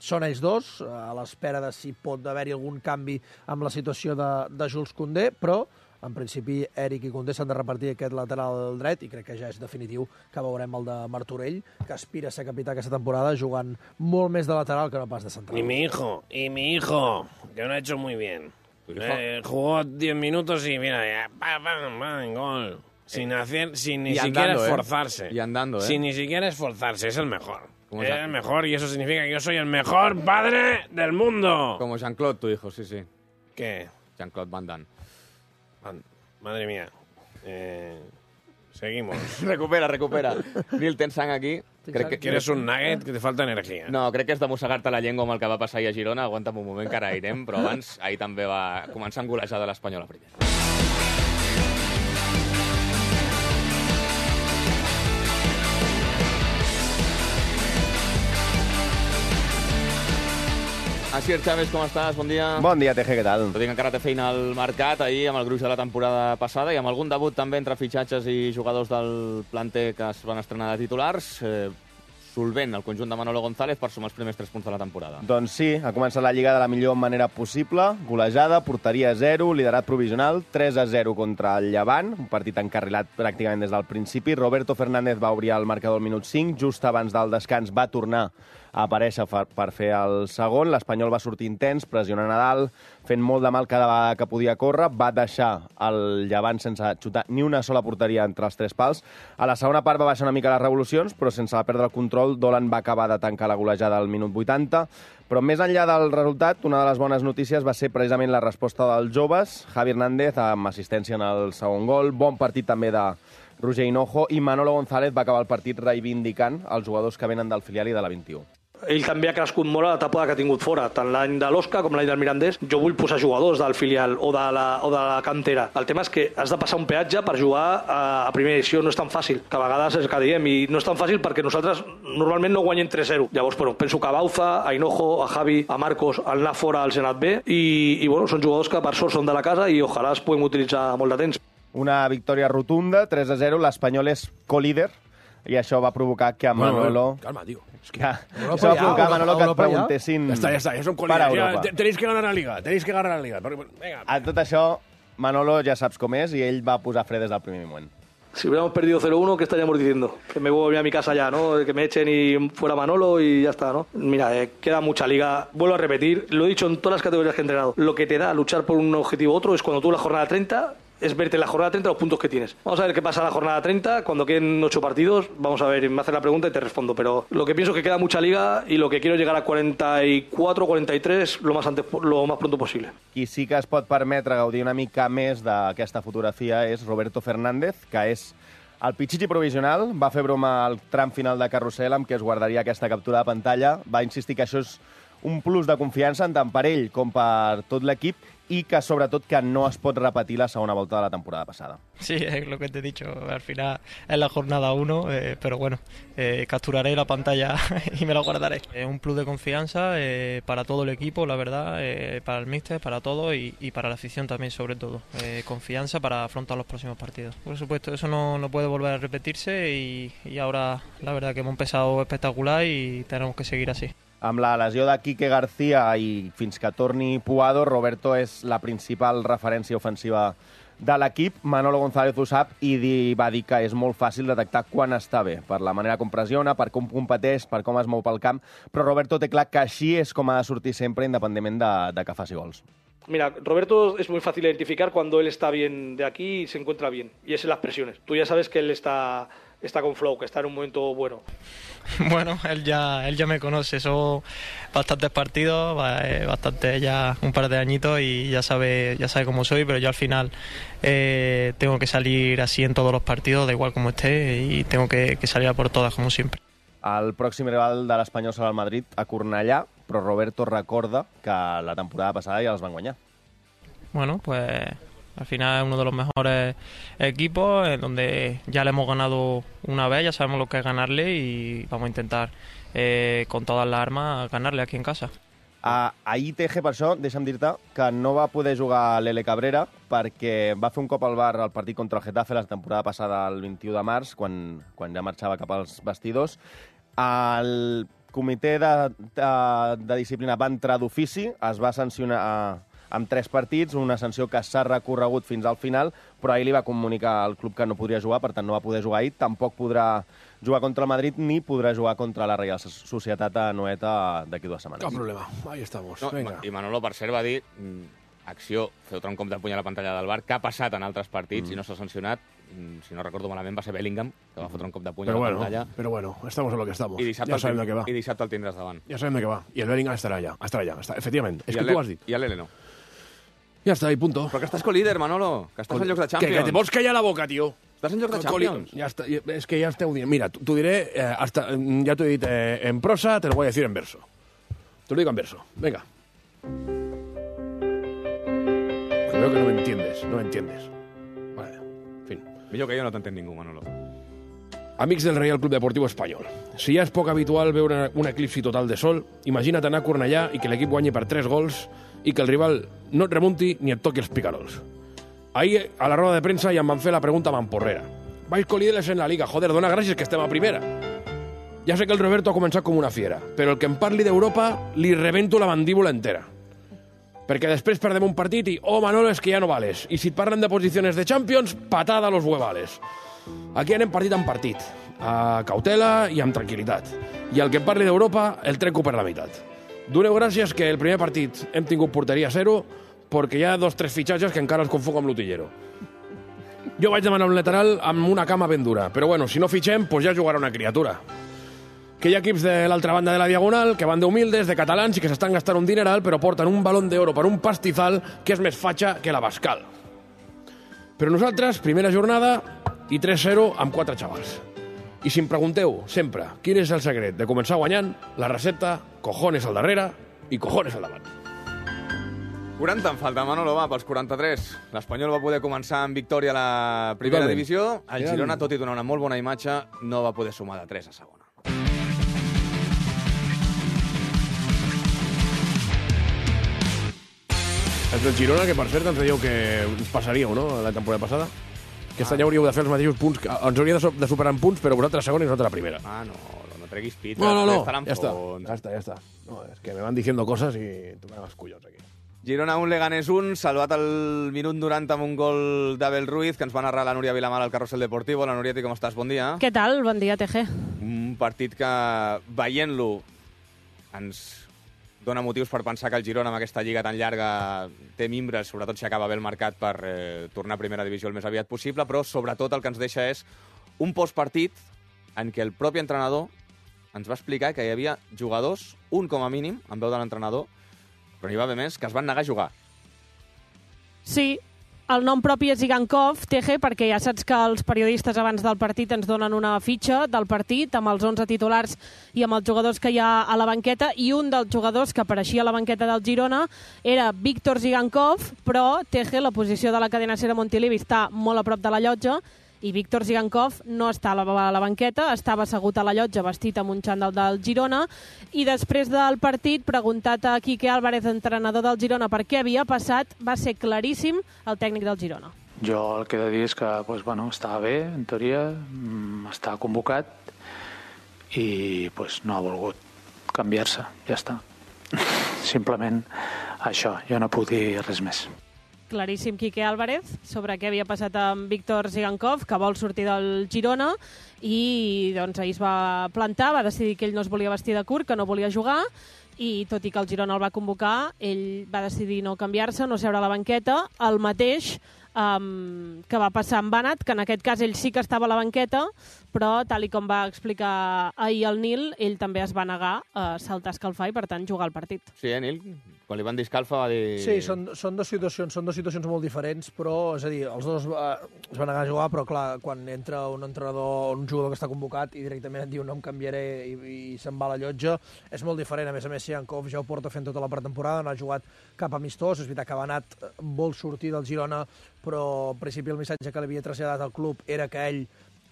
Speaker 5: són ells dos, a l'espera de si pot haver-hi algun canvi amb la situació de, de Jules Koundé, però en principi, Eric i Koundé s'han de repartir aquest lateral dret i crec que ja és definitiu que veurem el de Martorell, que aspira a ser capità aquesta temporada jugant molt més de lateral que no pas de central.
Speaker 9: Y mi hijo, y mi hijo, que lo ha hecho muy bien. Eh, jugó diez minutos y mira, ya, pa, pa, pa, gol. Sin hacer, sin ni siquiera
Speaker 4: andando,
Speaker 9: esforzarse.
Speaker 4: ¿eh? Y andando, ¿eh?
Speaker 9: Sin ni siquiera esforzarse, es el mejor. Es
Speaker 4: Jean...
Speaker 9: el mejor y eso significa que yo soy el mejor padre del mundo.
Speaker 4: Como Jean-Claude, tu hijo, sí, sí.
Speaker 9: ¿Qué?
Speaker 4: Jean-Claude Van Damme.
Speaker 9: Madre mía. Eh, seguimos.
Speaker 4: recupera, recupera. Nil, tens sang aquí?
Speaker 9: Crec que quieres un nugget que te falta energia.
Speaker 4: No, crec que és de mossegar-te la llengua amb el que va passar ahir a Girona. Aguanta'm un moment que ara irem, però abans ahir també va començar a engolejar de l'Espanyol a primera. Asier Chávez, com estàs? Bon dia.
Speaker 10: Bon dia, T G, què tal?
Speaker 4: Tot i que encara té feina al mercat, ahir amb el gruix de la temporada passada i amb algun debut també entre fitxatges i jugadors del planter que es van estrenar de titulars, eh, solvent el conjunt de Manolo González per sumar els primers tres punts de la temporada.
Speaker 10: Doncs sí, ha començat la Lliga de la millor manera possible, golejada, porteria zero, liderat provisional, tres a zero contra el Llevant, un partit encarrilat pràcticament des del principi. Roberto Fernández va obrir el marcador al minut cinc, just abans del descans va tornar a aparèixer per fer el segon. L'Espanyol va sortir intens, pressionant a dalt, fent molt de mal cada vegada que podia córrer, va deixar el Llevant sense xutar ni una sola porteria entre els tres pals. A la segona part va baixar una mica les revolucions, però sense perdre el control, Dolan va acabar de tancar la golejada al minut vuitanta. Però més enllà del resultat, una de les bones notícies va ser precisament la resposta dels joves. Javi Hernández amb assistència en el segon gol, bon partit també de Roger Hinojo, i Manolo González va acabar el partit reivindicant els jugadors que venen del filial i de la vint-i-u.
Speaker 11: Ell també ha crescut molt a la etapa que ha tingut fora, tant l'any de l'Osca com l'any del Mirandés. Jo vull posar jugadors del filial o de, la, o de la cantera. El tema és que has de passar un peatge per jugar a, a primera edició, no és tan fàcil, que a vegades és que diem, i no és tan fàcil perquè nosaltres normalment no guanyem tres zero. Llavors, però, penso que a Bauza, a Hinojo, a Javi, a Marcos, al anar fora al Senat B, i, i bueno, són jugadors que per sort són de la casa i ojalà es puguem utilitzar molt de temps.
Speaker 10: Una victòria rotunda, tres a zero, l'Espanyol és co-líder, i això va provocar que a Manolo...
Speaker 12: Bueno, calma, tío.
Speaker 10: Es que eso va a provocar a Manolo que et preguntessin...
Speaker 12: Ja està, ja està, ja som col·líders. Ja, tenéis que ganar la Liga, tenéis que ganar la Liga. Venga.
Speaker 10: A tot això, Manolo ja saps com és, i ell va posar fre des del primer moment.
Speaker 11: Si hubiéramos perdido cero uno, ¿qué estaríamos diciendo? Que me voy a mi casa ya, ¿no? Que me echen y fuera Manolo y ya está, ¿no? Mira, eh, queda mucha liga. Vuelvo a repetir, lo he dicho en todas las categorías que he entrenado. Lo que te da luchar por un objetivo u otro es cuando tú la jornada treinta... es verte en la jornada treinta los puntos que tienes. Vamos a ver qué pasa en la jornada treinta, cuando queden ocho partidos, vamos a ver, me hace la pregunta y te respondo, pero lo que pienso es que queda mucha liga y lo que quiero es llegar a cuarenta y cuatro, cuarenta y tres lo más, antes, lo más pronto posible.
Speaker 10: Qui sí que es pot permetre gaudir una mica més d'aquesta fotografia és Roberto Fernández, que és el Pichichi provisional, va fer broma al tram final de carrusel amb què es guardaria aquesta captura de pantalla, va insistir que això és un plus de confiança tant per ell com per tot l'equip y que sobretot que no es pot repetir la segona volta de la temporada pasada.
Speaker 13: Sí, es lo que te he dicho, al final es la jornada uno, eh, pero bueno, eh, capturaré la pantalla y me la guardaré. Es un plus de confianza eh, para todo el equipo, la verdad, eh, para el míster, para todo y, y para la afición también sobre todo. Eh, confianza para afrontar los próximos partidos. Por supuesto, eso no, no puede volver a repetirse y, y ahora la verdad que hemos empezado espectacular y tenemos que seguir así.
Speaker 10: Amb la lesió de Quique García i fins que torni Puado, Roberto és la principal referència ofensiva de l'equip. Manolo González ho sap i va dir que és molt fàcil detectar quan està bé, per la manera com pressiona, per com competeix, per com es mou pel camp, però Roberto té clar que així és com ha de sortir sempre, independentment de, de que faci gols.
Speaker 11: Mira, Roberto es muy fácil identificar cuando él está bien de aquí y se encuentra bien, y es en las presiones. Tú ya sabes que él está... está con flow, que está en un momento bueno.
Speaker 13: Bueno, él ya él ya me conoce, son bastantes partidos, bastante ya un par de añitos y ya sabe ya sabe cómo soy, pero yo al final eh, tengo que salir así en todos los partidos, da igual como esté, y tengo que, que salir a por todas, como siempre.
Speaker 10: El pròxim rival de l'Espanyol serà el Madrid, a Cornellà, però Roberto recorda que la temporada passada ja els van guanyar.
Speaker 13: Bueno, pues... Al final es uno de los mejores equipos, en donde ya le hemos ganado una vez, ya sabemos lo que es ganarle y vamos a intentar eh, con todas las armas ganarle aquí en casa.
Speaker 10: Uh, ahir T G, per això, deixa'm dir-te que no va poder jugar l'Ele Cabrera perquè va fer un cop al bar al partit contra el Getafe la temporada passada, el vint-i-u de març, quan, quan ja marxava cap als vestidors. El comitè de, de, de disciplina va entrar d'ofici, es va sancionar amb tres partits, una sanció que s'ha recorregut fins al final, però ahir li va comunicar al club que no podria jugar, per tant no va poder jugar ahir, tampoc podrà jugar contra el Madrid ni podrà jugar contra la Reial Societat a Noeta d'aquí dues setmanes.
Speaker 12: Cap problema, ahí estamos.
Speaker 4: No,
Speaker 12: Venga.
Speaker 4: I Manolo, per cert, va dir acció, fer un cop de puny a la pantalla del bar, que ha passat en altres partits mm. i no s'ha sancionat. Si no recordo malament, va ser Bellingham, que va fotre un cop de puny
Speaker 12: pero
Speaker 4: a la
Speaker 12: bueno,
Speaker 4: pantalla.
Speaker 12: Pero bueno, estamos en lo que estamos.
Speaker 4: I dissabte,
Speaker 12: ja sabem de què va.
Speaker 4: I dissabte el tindràs davant.
Speaker 12: Ja sabem de què va. I el Bellingham estarà allà. Estarà allà, està, efectivament. És que tu ho has dit.
Speaker 4: I el Lele no.
Speaker 12: Ja està, i punto.
Speaker 4: Però que estàs co-líder, Manolo, que estàs en llocs de Champions.
Speaker 12: Que, que te vols callar la boca, tio.
Speaker 4: Estàs en llocs de Champions.
Speaker 12: Ja està, és que ja esteu dient. Mira, t'ho diré, eh, hasta, ja t'ho he dit eh, en prosa, te lo voy a decir en verso. Te lo digo en verso. Venga. Que veo que no me entiendes, no me entiendes. Vale, en fin.
Speaker 4: Millor que jo no t'entén ningú, Manolo.
Speaker 12: Amics del Real Club Deportiu Espanyol, si ja és poc habitual veure un eclipsi total de sol, imagina't anar a Cornellà i que l'equip guanyi per tres gols i que el rival no et remunti ni et toqui els picarols. Ahir, a la roda de premsa, ja em van fer la pregunta mamporrera. Vais colíderes en la Liga, joder, dona gràcies que estem a primera. Ja sé que el Roberto ha començat com una fiera, però el que em parli d'Europa li rebento la mandíbula entera. Perquè després perdem un partit i, oh, Manolo, és que ja no vales. I si et parlen de posicions de Champions, patada a los huevales. Aquí anem partit en partit, a cautela i amb tranquil·litat. I el que em parli d'Europa el trenco per la meitat. Doneu gràcies que el primer partit hem tingut porteria zero perquè hi ha dos tres fitxatges que encara els confonc amb l'utillero. Jo vaig demanar un lateral amb una cama ben dura, però bueno, si no fitxem, pues ja jugarà una criatura. Que hi ha equips de l'altra banda de la Diagonal que van d'humildes, de catalans i que s'estan gastant un dineral però porten un balón d'oro per un pastizal que és més fatxa que la Bascal. Però nosaltres, primera jornada i tres zero amb quatre xavals. I si em pregunteu sempre quin és el secret de començar guanyant, la recepta, cojones al darrere i cojones al davant.
Speaker 4: quaranta en falta, Manolo, va, pels quaranta-tres. L'Espanyol va poder començar amb victòria a la primera
Speaker 12: Totalment.
Speaker 4: divisió. El Girona, tot i donar una molt bona imatge, no va poder sumar de tres a segona.
Speaker 12: El del Girona, que per cert ens dèieu que us passaríeu, no?, la temporada passada. Aquest any hauríeu de fer els mateixos punts, que ens hauria de, de superar en punts, però vosaltres segona i nosaltres la primera.
Speaker 4: Ah, no, no treguis pit.
Speaker 12: No, no, no, ja està, ja està, ja està. No, és que me van diciendo cosas i tocarem els collons aquí.
Speaker 4: Girona un, Leganés un, salvat el minut noranta amb un gol d'Abel Ruiz, que ens va narrar la Núria Vilamar al Carrusel Deportivo. La Núria, com estàs? Bon dia.
Speaker 14: Què tal? Bon dia, T G.
Speaker 4: Un partit que, veient-lo, ens dona motius per pensar que el Girona, amb aquesta lliga tan llarga, té mimbres, sobretot si acaba bé el mercat, per eh, tornar a primera divisió el més aviat possible, però sobretot el que ens deixa és un postpartit en què el propi entrenador ens va explicar que hi havia jugadors, un com a mínim, en veu de l'entrenador, però n'hi va haver més, que es van negar a jugar.
Speaker 14: Sí, el nom propi és Igankov, T G, perquè ja saps que els periodistes abans del partit ens donen una fitxa del partit amb els onze titulars i amb els jugadors que hi ha a la banqueta, i un dels jugadors que apareixia a la banqueta del Girona era Víctor Zigankov, però T G, la posició de la cadena Ser a Montilivi està molt a prop de la llotja, i Víctor Zigankov no està a la, a la banqueta, estava assegut a la llotja vestit amb un xandall del Girona, i després del partit, preguntat a Quique Álvarez, entrenador del Girona, per què havia passat, va ser claríssim el tècnic del Girona.
Speaker 15: Jo el que he de dir és que pues, bueno, estava bé, en teoria, estava convocat i pues, no ha volgut canviar-se, ja està. Simplement això, jo no puc dir res més.
Speaker 14: Claríssim Quique Álvarez sobre què havia passat amb Víctor Zigankov, que vol sortir del Girona, i doncs ahir es va plantar, va decidir que ell no es volia vestir de curt, que no volia jugar, i tot i que el Girona el va convocar, ell va decidir no canviar-se, no seure a la banqueta, el mateix um, que va passar amb Banat, que en aquest cas ell sí que estava a la banqueta, però tal i com va explicar ahir el Nil, ell també es va negar a saltar a escalfar i per tant jugar al partit.
Speaker 4: Sí, eh, Nil? Quan li van dir escalfa va dir...
Speaker 5: Sí, són, són, dues situacions, són dues situacions molt diferents, però, és a dir, els dos eh, es van negar a jugar, però clar, quan entra un entrenador, un jugador que està convocat i directament et diu no em canviaré i, i se'n va a la llotja, és molt diferent. A més a més, Zigankov ja ho porta fent tota la pretemporada, no ha jugat cap amistós, és veritat que Banat vol sortir del Girona, però al principi el missatge que li havia traslladat al club era que ell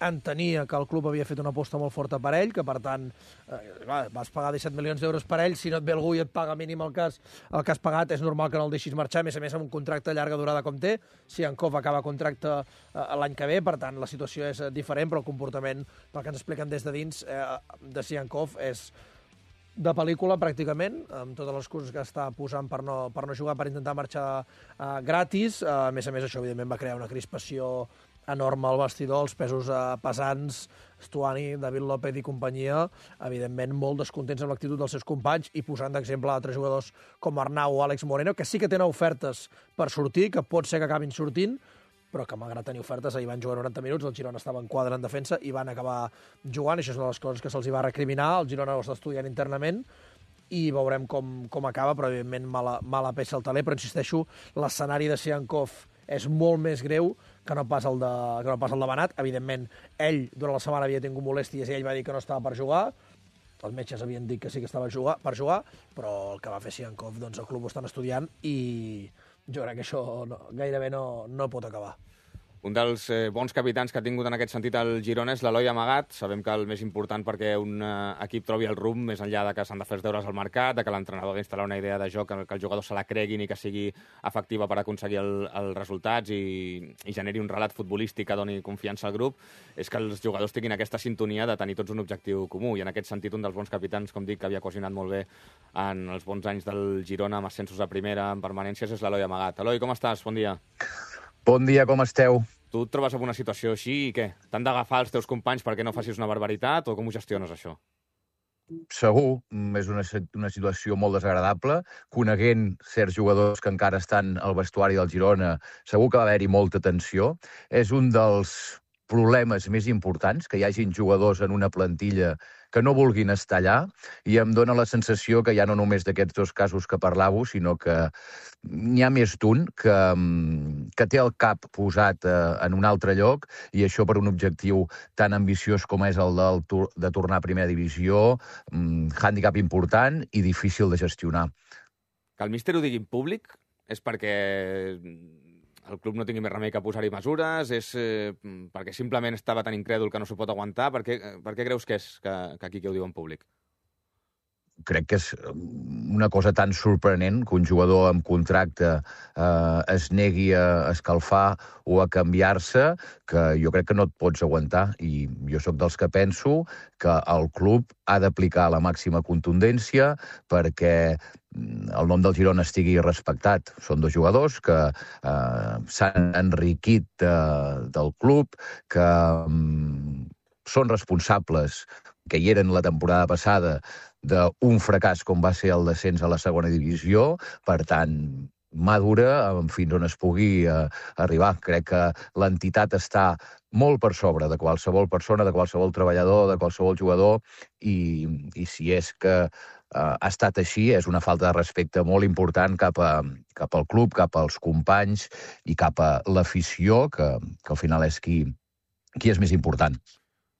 Speaker 5: entenia que el club havia fet una aposta molt forta per ell, que per tant eh, vas pagar disset milions d'euros per ell, si no et ve algú i et paga mínim el que, has, el que has pagat, és normal que no el deixis marxar, a més a més amb un contracte de llarga durada com té. Zigankov acaba contracte eh, l'any que ve, per tant la situació és diferent, però el comportament, pel que ens expliquen des de dins, eh, de Zigankov és de pel·lícula, pràcticament, amb totes les coses que està posant per no, per no jugar, per intentar marxar uh, gratis. Uh, a més a més, això, evidentment, va crear una crispació enorme al vestidor, els pesos uh, pesants, Stuani, David López i companyia, evidentment, molt descontents amb l'actitud dels seus companys i posant d'exemple altres jugadors com Arnau o Àlex Moreno, que sí que tenen ofertes per sortir, que pot ser que acabin sortint, però que malgrat tenir ofertes, ahir van jugar noranta minuts, el Girona estava en quadre en defensa i van acabar jugant, i això és una de les coses que se'ls va recriminar, el Girona ho està estudiant internament, i veurem com, com acaba, però evidentment mala, mala peça al taler, però insisteixo, l'escenari de Siankov és molt més greu que no pas el de, que no pas el de Banat. Evidentment, ell durant la setmana havia tingut molèsties i ell va dir que no estava per jugar, els metges havien dit que sí que estava jugar, per jugar, però el que va fer Siankov, doncs el club ho estan estudiant i jo crec que això no, gairebé no, no pot acabar.
Speaker 4: Un dels eh, bons capitans que ha tingut en aquest sentit el Girona és l'Eloi Amagat. Sabem que el més important perquè un eh, equip trobi el rumb, més enllà de que s'han de fer els deures al mercat, de que l'entrenador ha d'instal·lar una idea de joc, que, que els jugadors se la creguin i que sigui efectiva per aconseguir el, els resultats i, i generi un relat futbolístic que doni confiança al grup, és que els jugadors tinguin aquesta sintonia de tenir tots un objectiu comú. I en aquest sentit, un dels bons capitans, com dic, que havia cohesionat molt bé en els bons anys del Girona, amb ascensos a primera, en permanències, és l'Eloi Amagat. Eloi, com estàs? Bon dia.
Speaker 16: Bon dia, com esteu?
Speaker 4: Tu et trobes en una situació així i què? T'han d'agafar els teus companys perquè no facis una barbaritat o com ho gestiones, això?
Speaker 16: Segur, és una, una situació molt desagradable. Coneguent certs jugadors que encara estan al vestuari del Girona, segur que va haver-hi molta tensió. És un dels problemes més importants, que hi hagin jugadors en una plantilla que no vulguin estar allà, i em dóna la sensació que ja no només d'aquests dos casos que parlàveu, sinó que n'hi ha més d'un que, que té el cap posat eh, en un altre lloc, i això per un objectiu tan ambiciós com és el del, de tornar a primera divisió, um, hàndicap important i difícil de gestionar.
Speaker 4: Que el míster ho digui en públic és perquè el club no tingui més remei que posar-hi mesures, és eh, perquè simplement estava tan incrèdul que no s'ho pot aguantar? Per què, per què creus que és que, que aquí que ho diu en públic?
Speaker 16: Crec que és una cosa tan sorprenent que un jugador amb contracte eh, es negui a escalfar o a canviar-se, que jo crec que no et pots aguantar. I jo sóc dels que penso que el club ha d'aplicar la màxima contundència perquè el nom del Girona estigui respectat. Són dos jugadors que eh, s'han enriquit eh, del club, que mm, són responsables, que hi eren la temporada passada, d'un fracàs com va ser el descens a la segona divisió. Per tant, mà dura fins on es pugui eh, arribar. Crec que l'entitat està molt per sobre de qualsevol persona, de qualsevol treballador, de qualsevol jugador, i, i si és que eh, ha estat així, és una falta de respecte molt important cap, a, cap al club, cap als companys i cap a l'afició, que, que al final és qui, qui és més important.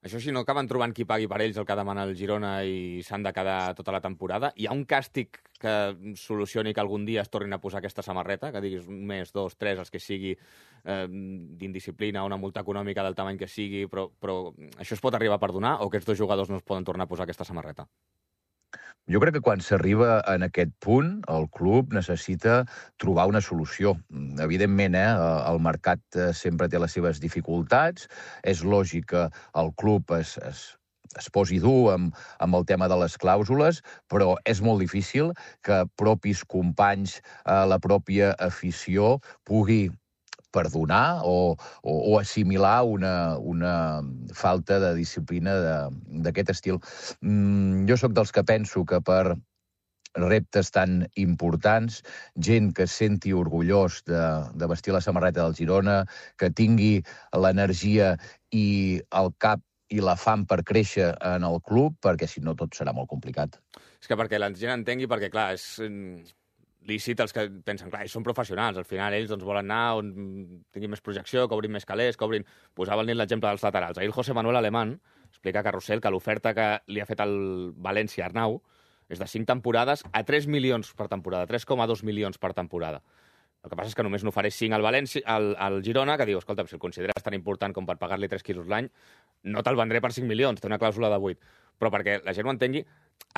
Speaker 4: Això si no acaben trobant qui pagui per ells el que demana el Girona i s'han de quedar tota la temporada. Hi ha un càstig que solucioni que algun dia es tornin a posar aquesta samarreta, que diguis un mes, dos, tres, els que sigui eh, d'indisciplina, una multa econòmica del tamany que sigui, però, però això es pot arribar a perdonar o aquests dos jugadors no es poden tornar a posar aquesta samarreta?
Speaker 16: Jo crec que quan s'arriba en aquest punt, el club necessita trobar una solució. Evidentment, eh, el mercat sempre té les seves dificultats. És lògic que el club es, es, es posi dur amb, amb el tema de les clàusules, però és molt difícil que propis companys, eh, la pròpia afició, pugui perdonar o, o, o assimilar una, una falta de disciplina d'aquest estil. Mm, jo sóc dels que penso que per reptes tan importants, gent que es senti orgullós de, de vestir la samarreta del Girona, que tingui l'energia i el cap i la fam per créixer en el club, perquè si no tot serà molt complicat.
Speaker 4: És que perquè la gent entengui, perquè clar, és lícit els que pensen, clar, ells són professionals, al final ells doncs, volen anar on tinguin més projecció, que obrin més calés, que obrin... Posava el nit l'exemple dels laterals. Ahir el José Manuel Alemán explica a Carrusel que l'oferta que li ha fet el València Arnau és de cinc temporades a tres milions per temporada, tres coma dos milions per temporada. El que passa és que només n'ofereix cinc al, València, al, al Girona, que diu, escolta, si el consideres tan important com per pagar-li tres quilos l'any, no te'l vendré per cinc milions, té una clàusula de vuit. Però perquè la gent ho entengui,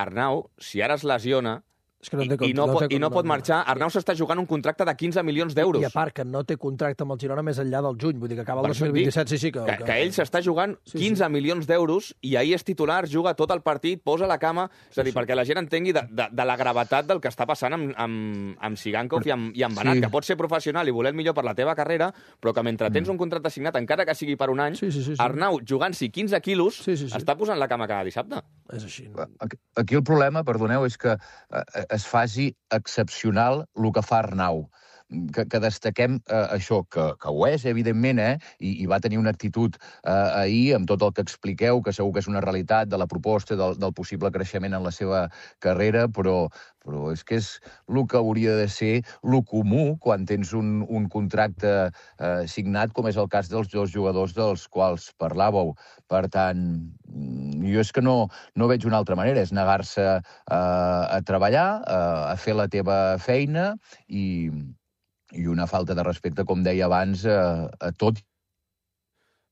Speaker 4: Arnau, si ara es lesiona,
Speaker 5: És que no té,
Speaker 4: I, no,
Speaker 5: no té,
Speaker 4: I no pot marxar. Arnau s'està jugant un contracte de quinze milions d'euros.
Speaker 5: I a part que no té contracte amb el Girona més enllà del juny, vull dir que acaba el dos mil vint-i-set, sí, sí. Que,
Speaker 4: que, que ell s'està jugant quinze sí, sí. milions d'euros i ahir és titular, juga tot el partit, posa la cama, és a dir, sí, sí. perquè la gent entengui de, de, de la gravetat del que està passant amb, amb, amb Sigankov i amb, i amb Banat, sí. que pot ser professional i voler el millor per la teva carrera, però que mentre tens un contracte signat, encara que sigui per un any, sí, sí, sí, sí. Arnau, jugant-s'hi quinze quilos, sí, sí, sí. està posant la cama cada dissabte.
Speaker 5: És així.
Speaker 16: Aquí el problema, perdoneu, és que es faci excepcional el que fa Arnau. Que, que destaquem eh, això, que, que ho és, evidentment, eh? I, i va tenir una actitud eh, ahir amb tot el que expliqueu, que segur que és una realitat de la proposta, del, del possible creixement en la seva carrera, però, però és que és el que hauria de ser el comú quan tens un, un contracte eh, signat, com és el cas dels dos jugadors dels quals parlàveu. Per tant, jo és que no, no veig una altra manera, és negar-se eh, a treballar, eh, a fer la teva feina i... i una falta de respecte, com deia abans, a, a tot.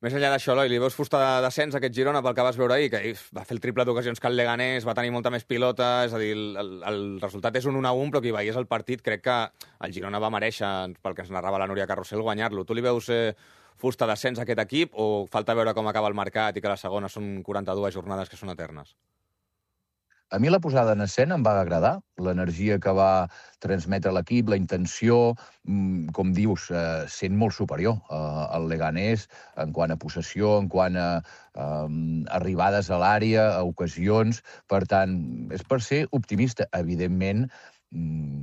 Speaker 4: Més enllà d'això, Eloi, li veus fusta de descens a aquest Girona pel que vas veure ahir, que va fer el triple d'ocasions que el Leganés, va tenir molta més pilota, és a dir, el, el, el resultat és un un a un, però qui veiés el partit crec que el Girona va mereixer, pel que ens narrava la Núria Carrusel, guanyar-lo. Tu li veus eh, fusta de descens a aquest equip o falta veure com acaba el mercat i que la segona són quaranta-dues jornades que són eternes?
Speaker 16: A mi la posada en escena em va agradar, l'energia que va transmetre l'equip, la intenció, com dius, eh, sent molt superior eh, al Leganés en quant a possessió, en quant a eh, arribades a l'àrea, a ocasions. Per tant, és per ser optimista. Evidentment,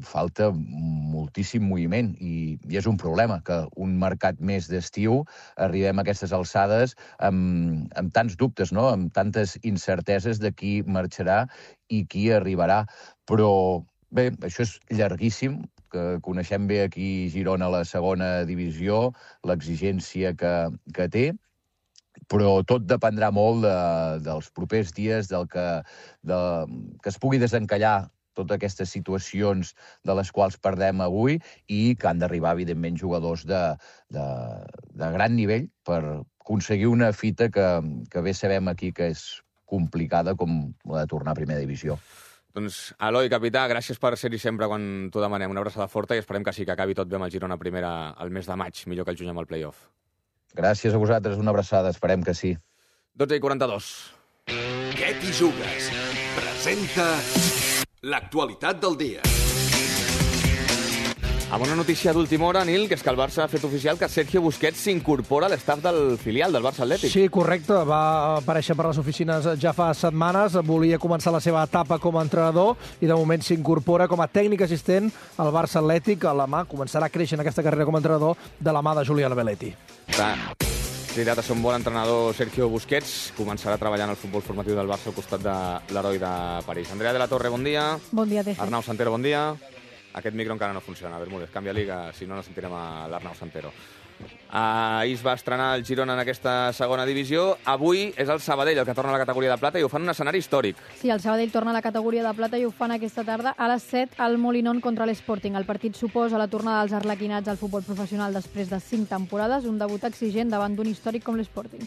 Speaker 16: falta moltíssim moviment i, i és un problema que un mercat més d'estiu arribem a aquestes alçades amb, amb tants dubtes, no? Amb tantes incerteses de qui marxarà i qui arribarà. Però bé, això és llarguíssim, que coneixem bé aquí Girona a la segona divisió, l'exigència que, que té, però tot dependrà molt de, dels propers dies, del que, de, que es pugui desencallar totes aquestes situacions de les quals perdem avui i que han d'arribar, evidentment, jugadors de, de, de gran nivell per aconseguir una fita que, que bé sabem aquí que és complicada com la de tornar a primera divisió.
Speaker 4: Doncs, Eloi, capità, gràcies per ser-hi sempre quan t'ho demanem. Una abraçada forta i esperem que sí, que acabi tot bé amb el Girona primera al mes de maig, millor que el juny amb el play-off.
Speaker 16: Gràcies a vosaltres, una abraçada, esperem que sí.
Speaker 4: dotze i quaranta-dos.
Speaker 1: Què t'hi jugues? Presenta l'actualitat del dia.
Speaker 4: Amb una notícia d'última hora, Nil, que és que el Barça ha fet oficial que Sergio Busquets s'incorpora a l'estaf del filial del Barça Atlètic.
Speaker 5: Sí, correcte. Va aparèixer per les oficines ja fa setmanes. Volia començar la seva etapa com a entrenador i de moment s'incorpora com a tècnic assistent al Barça Atlètic. A la mà començarà a créixer en aquesta carrera com a entrenador de la mà de Julián Belletti.
Speaker 4: Clar. Cridat a ser un bon entrenador, Sergio Busquets començarà a treballar en el futbol formatiu del Barça al costat de l'heroi de París. Andrea de la Torre, bon dia.
Speaker 14: Bon dia, Teje.
Speaker 4: Arnau Santero, bon dia. Aquest micro encara no funciona. Bermúdez, canvia liga, si no, no sentirem a l'Arnau Santero. Ahir es va estrenar el Girona en aquesta segona divisió. Avui és el Sabadell el que torna a la categoria de plata i ho fan en un escenari històric.
Speaker 17: Sí, el Sabadell torna a la categoria de plata i ho fan aquesta tarda a les set al Molinón contra l'Sporting. El partit suposa la tornada dels arlequinats al futbol professional després de cinc temporades, un debut exigent davant d'un històric com l'Sporting.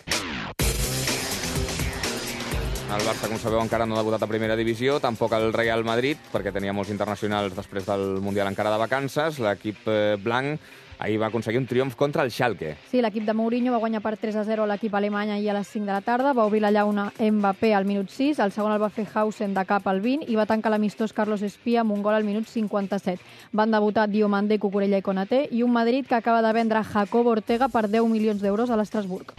Speaker 4: El Barça, com sabeu, encara no ha debutat a primera divisió, tampoc el Real Madrid, perquè tenia molts internacionals després del Mundial encara de vacances. L'equip blanc ahir va aconseguir un triomf contra el Schalke.
Speaker 17: Sí, l'equip de Mourinho va guanyar per tres a zero a l'equip alemany ahir a les cinc de la tarda, va obrir la llauna Mbappé al minut sis, el segon el va fer Hausen de cap al vint i va tancar l'amistós Carlos Espía amb un gol al minut cinquanta-set. Van debutar Diomandé, Cucurella i Konaté i un Madrid que acaba de vendre Jacobo Ortega per deu milions d'euros a l'Estrasburg.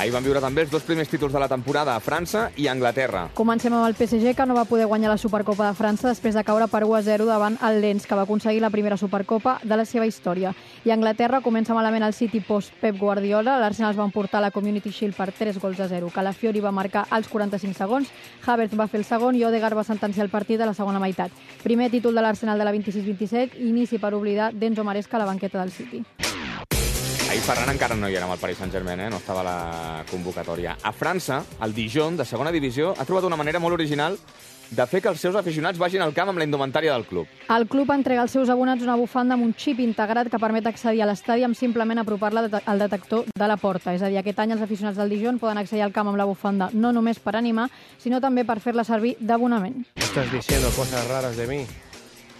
Speaker 4: Ahir van viure també els dos primers títols de la temporada a França i a Anglaterra.
Speaker 17: Comencem amb el P S G, que no va poder guanyar la Supercopa de França després de caure per u a zero davant el Lens, que va aconseguir la primera Supercopa de la seva història. I a Anglaterra comença malament el City post Pep Guardiola. L'Arsenal es va emportar la Community Shield per tres gols a zero. Calafiori va marcar als quaranta-cinc segons, Havertz va fer el segon i Odegaard va sentenciar el partit a la segona meitat. Primer títol de l'Arsenal de la vint-i-sis vint-i-set, inici per oblidar d'Enzo Maresca a la banqueta del City.
Speaker 4: Ahir Ferran encara no hi era amb el Paris Saint-Germain, eh? No estava a la convocatòria. A França, el Dijon, de segona divisió, ha trobat una manera molt original de fer que els seus aficionats vagin al camp amb la indumentària del club.
Speaker 17: El club entrega als seus abonats una bufanda amb un xip integrat que permet accedir a l'estadi amb simplement apropar-la al detector de la porta. És a dir, aquest any els aficionats del Dijon poden accedir al camp amb la bufanda no només per animar, sinó també per fer-la servir d'abonament.
Speaker 18: Estás diciendo cosas raras de mí.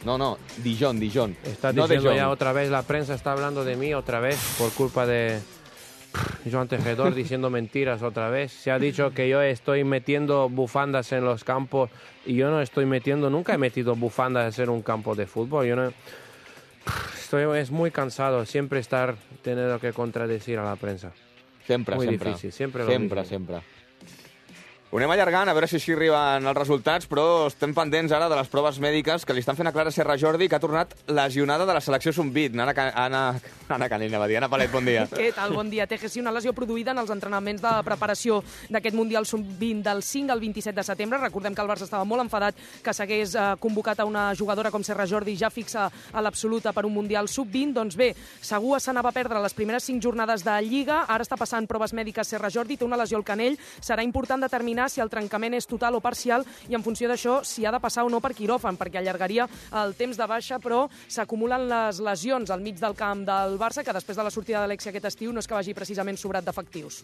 Speaker 4: No, no, Dijon, Dijon.
Speaker 18: Estás
Speaker 4: no
Speaker 18: diciendo
Speaker 4: Dijon.
Speaker 18: ya otra vez, la prensa está hablando de mí otra vez por culpa de Joan Tejedor diciendo mentiras otra vez. Se ha dicho que yo estoy metiendo bufandas en los campos y yo no estoy metiendo, nunca he metido bufandas en un campo de fútbol. Yo no, estoy, es muy cansado siempre estar teniendo que contradecir a la prensa.
Speaker 4: Sempre,
Speaker 18: muy
Speaker 4: sempre.
Speaker 18: difícil, sempre.
Speaker 4: Sempre, sempre. Ho anem allargant, a veure si així arriben els resultats, però estem pendents ara de les proves mèdiques que li estan fent a Clara Serra Jordi, que ha tornat lesionada de la selecció sub vint. Anna, Anna, Anna Canella, va dir. Anna Palet, bon dia.
Speaker 19: Què tal? Bon dia. T G C, una lesió produïda en els entrenaments de preparació d'aquest Mundial sub vint del cinc al vint-i-set de setembre. Recordem que el Barça estava molt enfadat que s'hagués eh, convocat a una jugadora com Serra Jordi, ja fixa a l'absoluta per un Mundial sub vint. Doncs bé, segur se n'ava a perdre les primeres cinc jornades de Lliga. Ara està passant proves mèdiques Serra Jordi, té una lesió al canell. Serà important determinar si el trencament és total o parcial i en funció d'això si ha de passar o no per quiròfan, perquè allargaria el temps de baixa, però s'acumulen les lesions al mig del camp del Barça, que després de la sortida d'Alexia aquest estiu no és que vagi precisament sobrat d'efectius.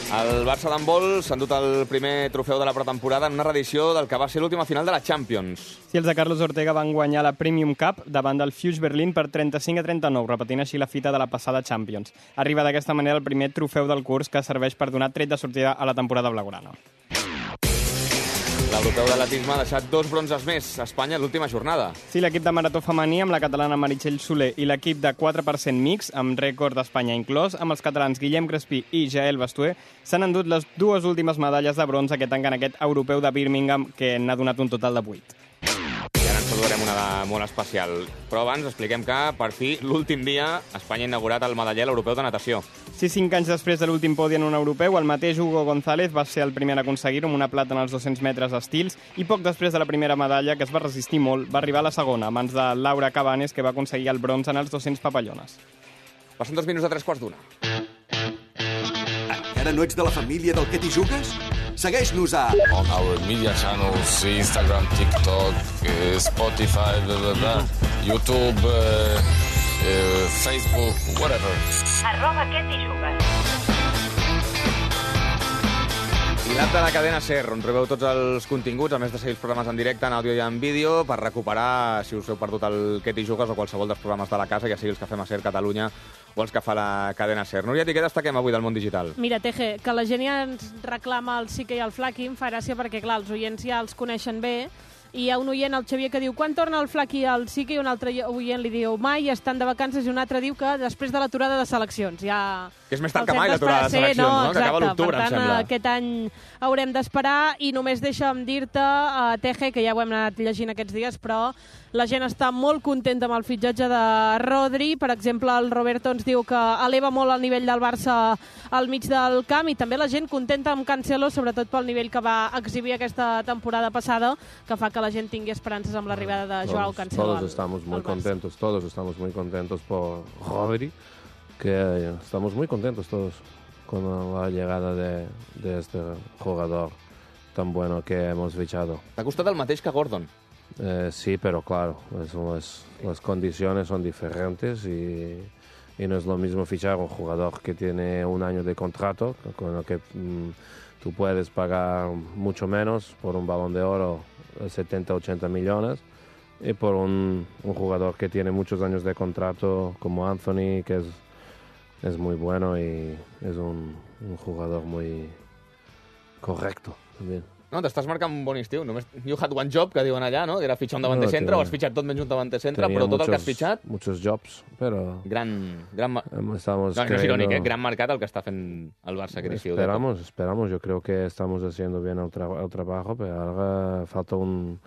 Speaker 4: El Barça d'handbol s'ha endut el primer trofeu de la pretemporada en una reedició del que va ser l'última final de la Champions.
Speaker 20: Sí, els de Carlos Ortega van guanyar la Premium Cup davant del Fuchs Berlín per trenta-cinc a trenta-nou, repetint així la fita de la passada Champions. Arriba d'aquesta manera el primer trofeu del curs que serveix per donar tret de sortida a la temporada blaugrana.
Speaker 4: L'europeu d'atletisme ha deixat dos bronzes més a Espanya en l'última jornada.
Speaker 20: Sí, l'equip de marató femení amb la catalana Meritxell Soler i l'equip de quatre per cent mix, amb rècord d'Espanya inclòs, amb els catalans Guillem Crespí i Jael Bastuer, s'han endut les dues últimes medalles de bronze aquest any en aquest europeu de Birmingham, que n'ha donat un total de vuit.
Speaker 4: I ara ens saludarem una de molt especial. Però abans expliquem que, per fi, l'últim dia Espanya ha inaugurat el medaller europeu de natació.
Speaker 20: Sí, cinc anys després de l'últim podi en un europeu, el mateix Hugo González va ser el primer a aconseguir-ho amb una plata en els dos-cents metres estils i poc després de la primera medalla, que es va resistir molt, va arribar a la segona, a mans de Laura Cabanes, que va aconseguir el bronze en els dos-cents papallones.
Speaker 4: Passen dos minuts a tres quarts d'una.
Speaker 1: Encara no ets de la família del Que t'hi jugues? Segueix-nos a...
Speaker 21: On our media channels, Instagram, TikTok, uh, Spotify, blah, blah, blah, YouTube, uh, uh, Facebook, whatever.
Speaker 22: Arroba Que t'hi jugues.
Speaker 4: I l'app de la cadena SER, on trobeu tots els continguts, a més de seguir els programes en directe, en àudio i en vídeo, per recuperar, si us heu perdut el Que t'hi jugues o qualsevol dels programes de la casa, ja sigui els que fem a SER Catalunya o els que fa la cadena SER. Núria, què destaquem avui del món digital?
Speaker 14: Mira, T G, que la gent ja ens reclama el Sique i el Flaqui, em fa gràcia perquè, clar, els oients ja els coneixen bé, i hi ha un oient, el Xavier, que diu quan torna el Flaqui al Sique, i un altre oient li diu mai, estan de vacances, i un altre diu que després de l'aturada de seleccions. Ja...
Speaker 4: Que és més tard que mai l'aturada de seleccions, no? no? Que acaba l'octubre, em sembla.
Speaker 14: Aquest any haurem d'esperar, i només deixa'm dir-te, uh, T G, que ja ho hem anat llegint aquests dies, però la gent està molt contenta amb el fitxatge de Rodri. Per exemple, el Roberto ens diu que eleva molt el nivell del Barça al mig del camp, i també la gent contenta amb Cancelo, sobretot pel nivell que va exhibir aquesta temporada passada, que fa que la gent tingui esperances amb l'arribada de Joao Cancelo.
Speaker 18: Todos estamos muy contentos, todos estamos muy contentos por Rodri, que estamos muy contentos todos con la llegada de, de este jugador tan bueno que hemos fichado.
Speaker 4: T'ha costat el mateix que Gordon?
Speaker 18: Eh, sí, pero claro, es, las, las condiciones son diferentes y, y no es lo mismo fichar un jugador que tiene un año de contrato, con lo que mmm, tú puedes pagar mucho menos por un Balón de Oro, setenta, ochenta millones, y por un, un jugador que tiene muchos años de contrato como Anthony, que es, es muy bueno y es un, un jugador muy correcto también.
Speaker 4: No, t'estàs marcant un bon estiu. Només you had one job, que diuen allà, no? Que era fitxar un davanter centre, no, o has fitxat tot menys un davanter centre, però tot muchos, el que has fitxat...
Speaker 18: Muchos jobs, però...
Speaker 4: Gran... gran
Speaker 18: Estamos
Speaker 4: no, no és irònic, eh? Gran mercat el que està fent el Barça aquest estiu.
Speaker 18: Esperamos, esperamos. Yo creo que estamos haciendo bien el, tra el trabajo, pero ahora falta un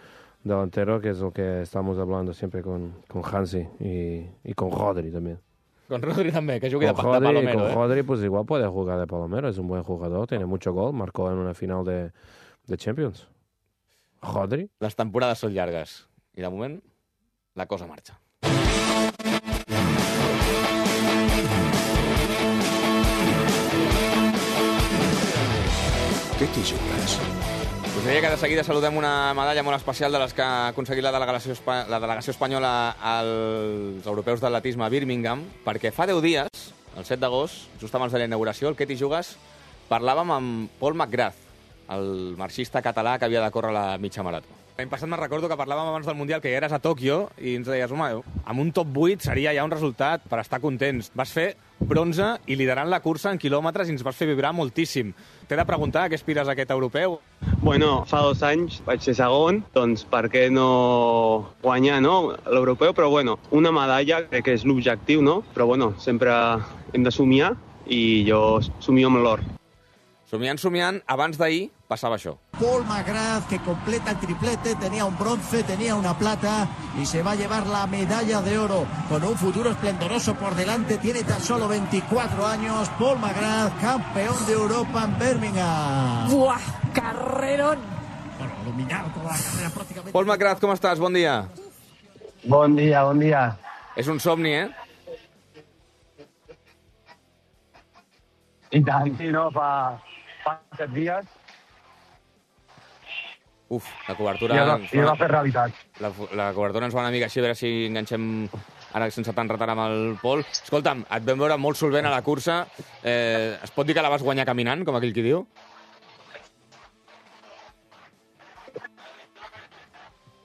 Speaker 18: delantero, que es lo que estamos hablando siempre con, con Hansi y, y con Rodri también.
Speaker 4: Con Rodri también, que jugui de,
Speaker 18: Rodri,
Speaker 4: de Palomero.
Speaker 18: Con
Speaker 4: eh?
Speaker 18: Rodri, pues igual puede jugar de Palomero, es un buen jugador, tiene mucho gol, marcó en una final de, de Champions. Rodri.
Speaker 4: Les temporades són llargues i, de moment, la cosa marxa.
Speaker 1: Què t'hi jugues?
Speaker 4: Us deia que de seguida saludem una medalla molt especial de les que ha aconseguit la delegació, la delegació espanyola als europeus d'atletisme a Birmingham, perquè fa deu dies, el set d'agost, just abans de la inauguració, el Què t'hi jugues, parlàvem amb Paul McGrath, el marxista català que havia de córrer la mitja marató. L'any passat me'n recordo que parlàvem abans del Mundial, que ja eres a Tòquio, i ens deies, home, amb un top vuit seria ja un resultat per estar contents. Vas fer bronze i liderant la cursa en quilòmetres i ens vas fer vibrar moltíssim. T'he de preguntar, què aspires a aquest europeu?
Speaker 2: Bueno, fa dos anys vaig ser segon, doncs per què no guanyar, no, l'europeu? Però bueno, una medalla crec que és l'objectiu, no? Però bueno, sempre hem de somiar i jo somio amb l'or.
Speaker 4: Somiant, somiant, abans d'ahir passava això.
Speaker 3: Paul McGrath, que completa el triplete, tenía un bronce, tenía una plata y se va a llevar la medalla de oro con un futuro esplendoroso por delante. Tiene tan solo veinticuatro años. Paul McGrath, campeón de Europa en Birmingham.
Speaker 19: Buah, carrerón.
Speaker 3: Bueno, dominado toda la carrera prácticamente.
Speaker 4: Paul McGrath, com estàs? Bon dia.
Speaker 2: Bon dia, bon dia.
Speaker 4: És un somni, eh?
Speaker 2: I tant, sí, no? Fa, fa set dies.
Speaker 4: Uf, la cobertura...
Speaker 2: I va, i va fer realitat.
Speaker 4: La, la cobertura ens va una mica així, a veure si enganxem ara sense tant retard amb el Pol. Escolta'm, et vam veure molt solvent a la cursa. Eh, es pot dir que la vas guanyar caminant, com aquell qui diu?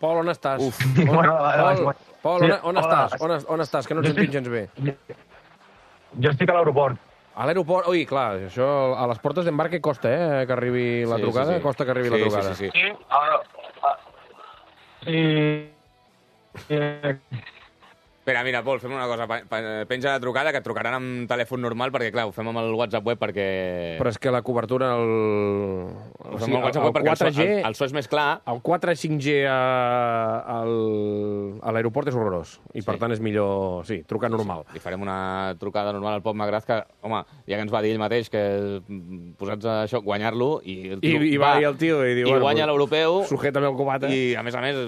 Speaker 12: Pol, on estàs?
Speaker 2: Uf.
Speaker 12: On,
Speaker 2: Bueno,
Speaker 12: Pol, Pol, on, on
Speaker 2: Hola.
Speaker 12: estàs? On, on estàs? Que no et sentim gens bé.
Speaker 2: Jo estic a l'aeroport.
Speaker 12: A l'aeroport... Ui, clar, això a les portes d'embarque costa, eh, que arribi la
Speaker 4: Sí,
Speaker 12: trucada.
Speaker 4: sí, sí.
Speaker 12: Costa que arribi
Speaker 4: Sí,
Speaker 12: la trucada.
Speaker 4: sí, sí, sí.
Speaker 2: Sí, ara... Sí... Eh,
Speaker 4: Espera, mira, Pol, fem una cosa. Pa- pa- Penja la trucada, que et trucaran amb telèfon normal, perquè, clar, ho fem amb el WhatsApp web perquè...
Speaker 12: Però és que la cobertura... El,
Speaker 4: Ho fem amb el WhatsApp web perquè el so,
Speaker 12: quatre G,
Speaker 4: el, el so és més clar.
Speaker 12: el quatre cinc G a, al, a l'aeroport és horrorós. I, per
Speaker 4: Sí.
Speaker 12: tant, és millor... Sí, trucar normal.
Speaker 4: Li farem una trucada normal al Pol McGrath, que, home, ja que ens va dir ell mateix que mm, posats a això, guanyar-lo, i, el
Speaker 12: I,
Speaker 4: tio
Speaker 12: i va i el tio i diu...
Speaker 4: i guanya l'europeu.
Speaker 12: Sujétame el cubata.
Speaker 4: I, a més a més,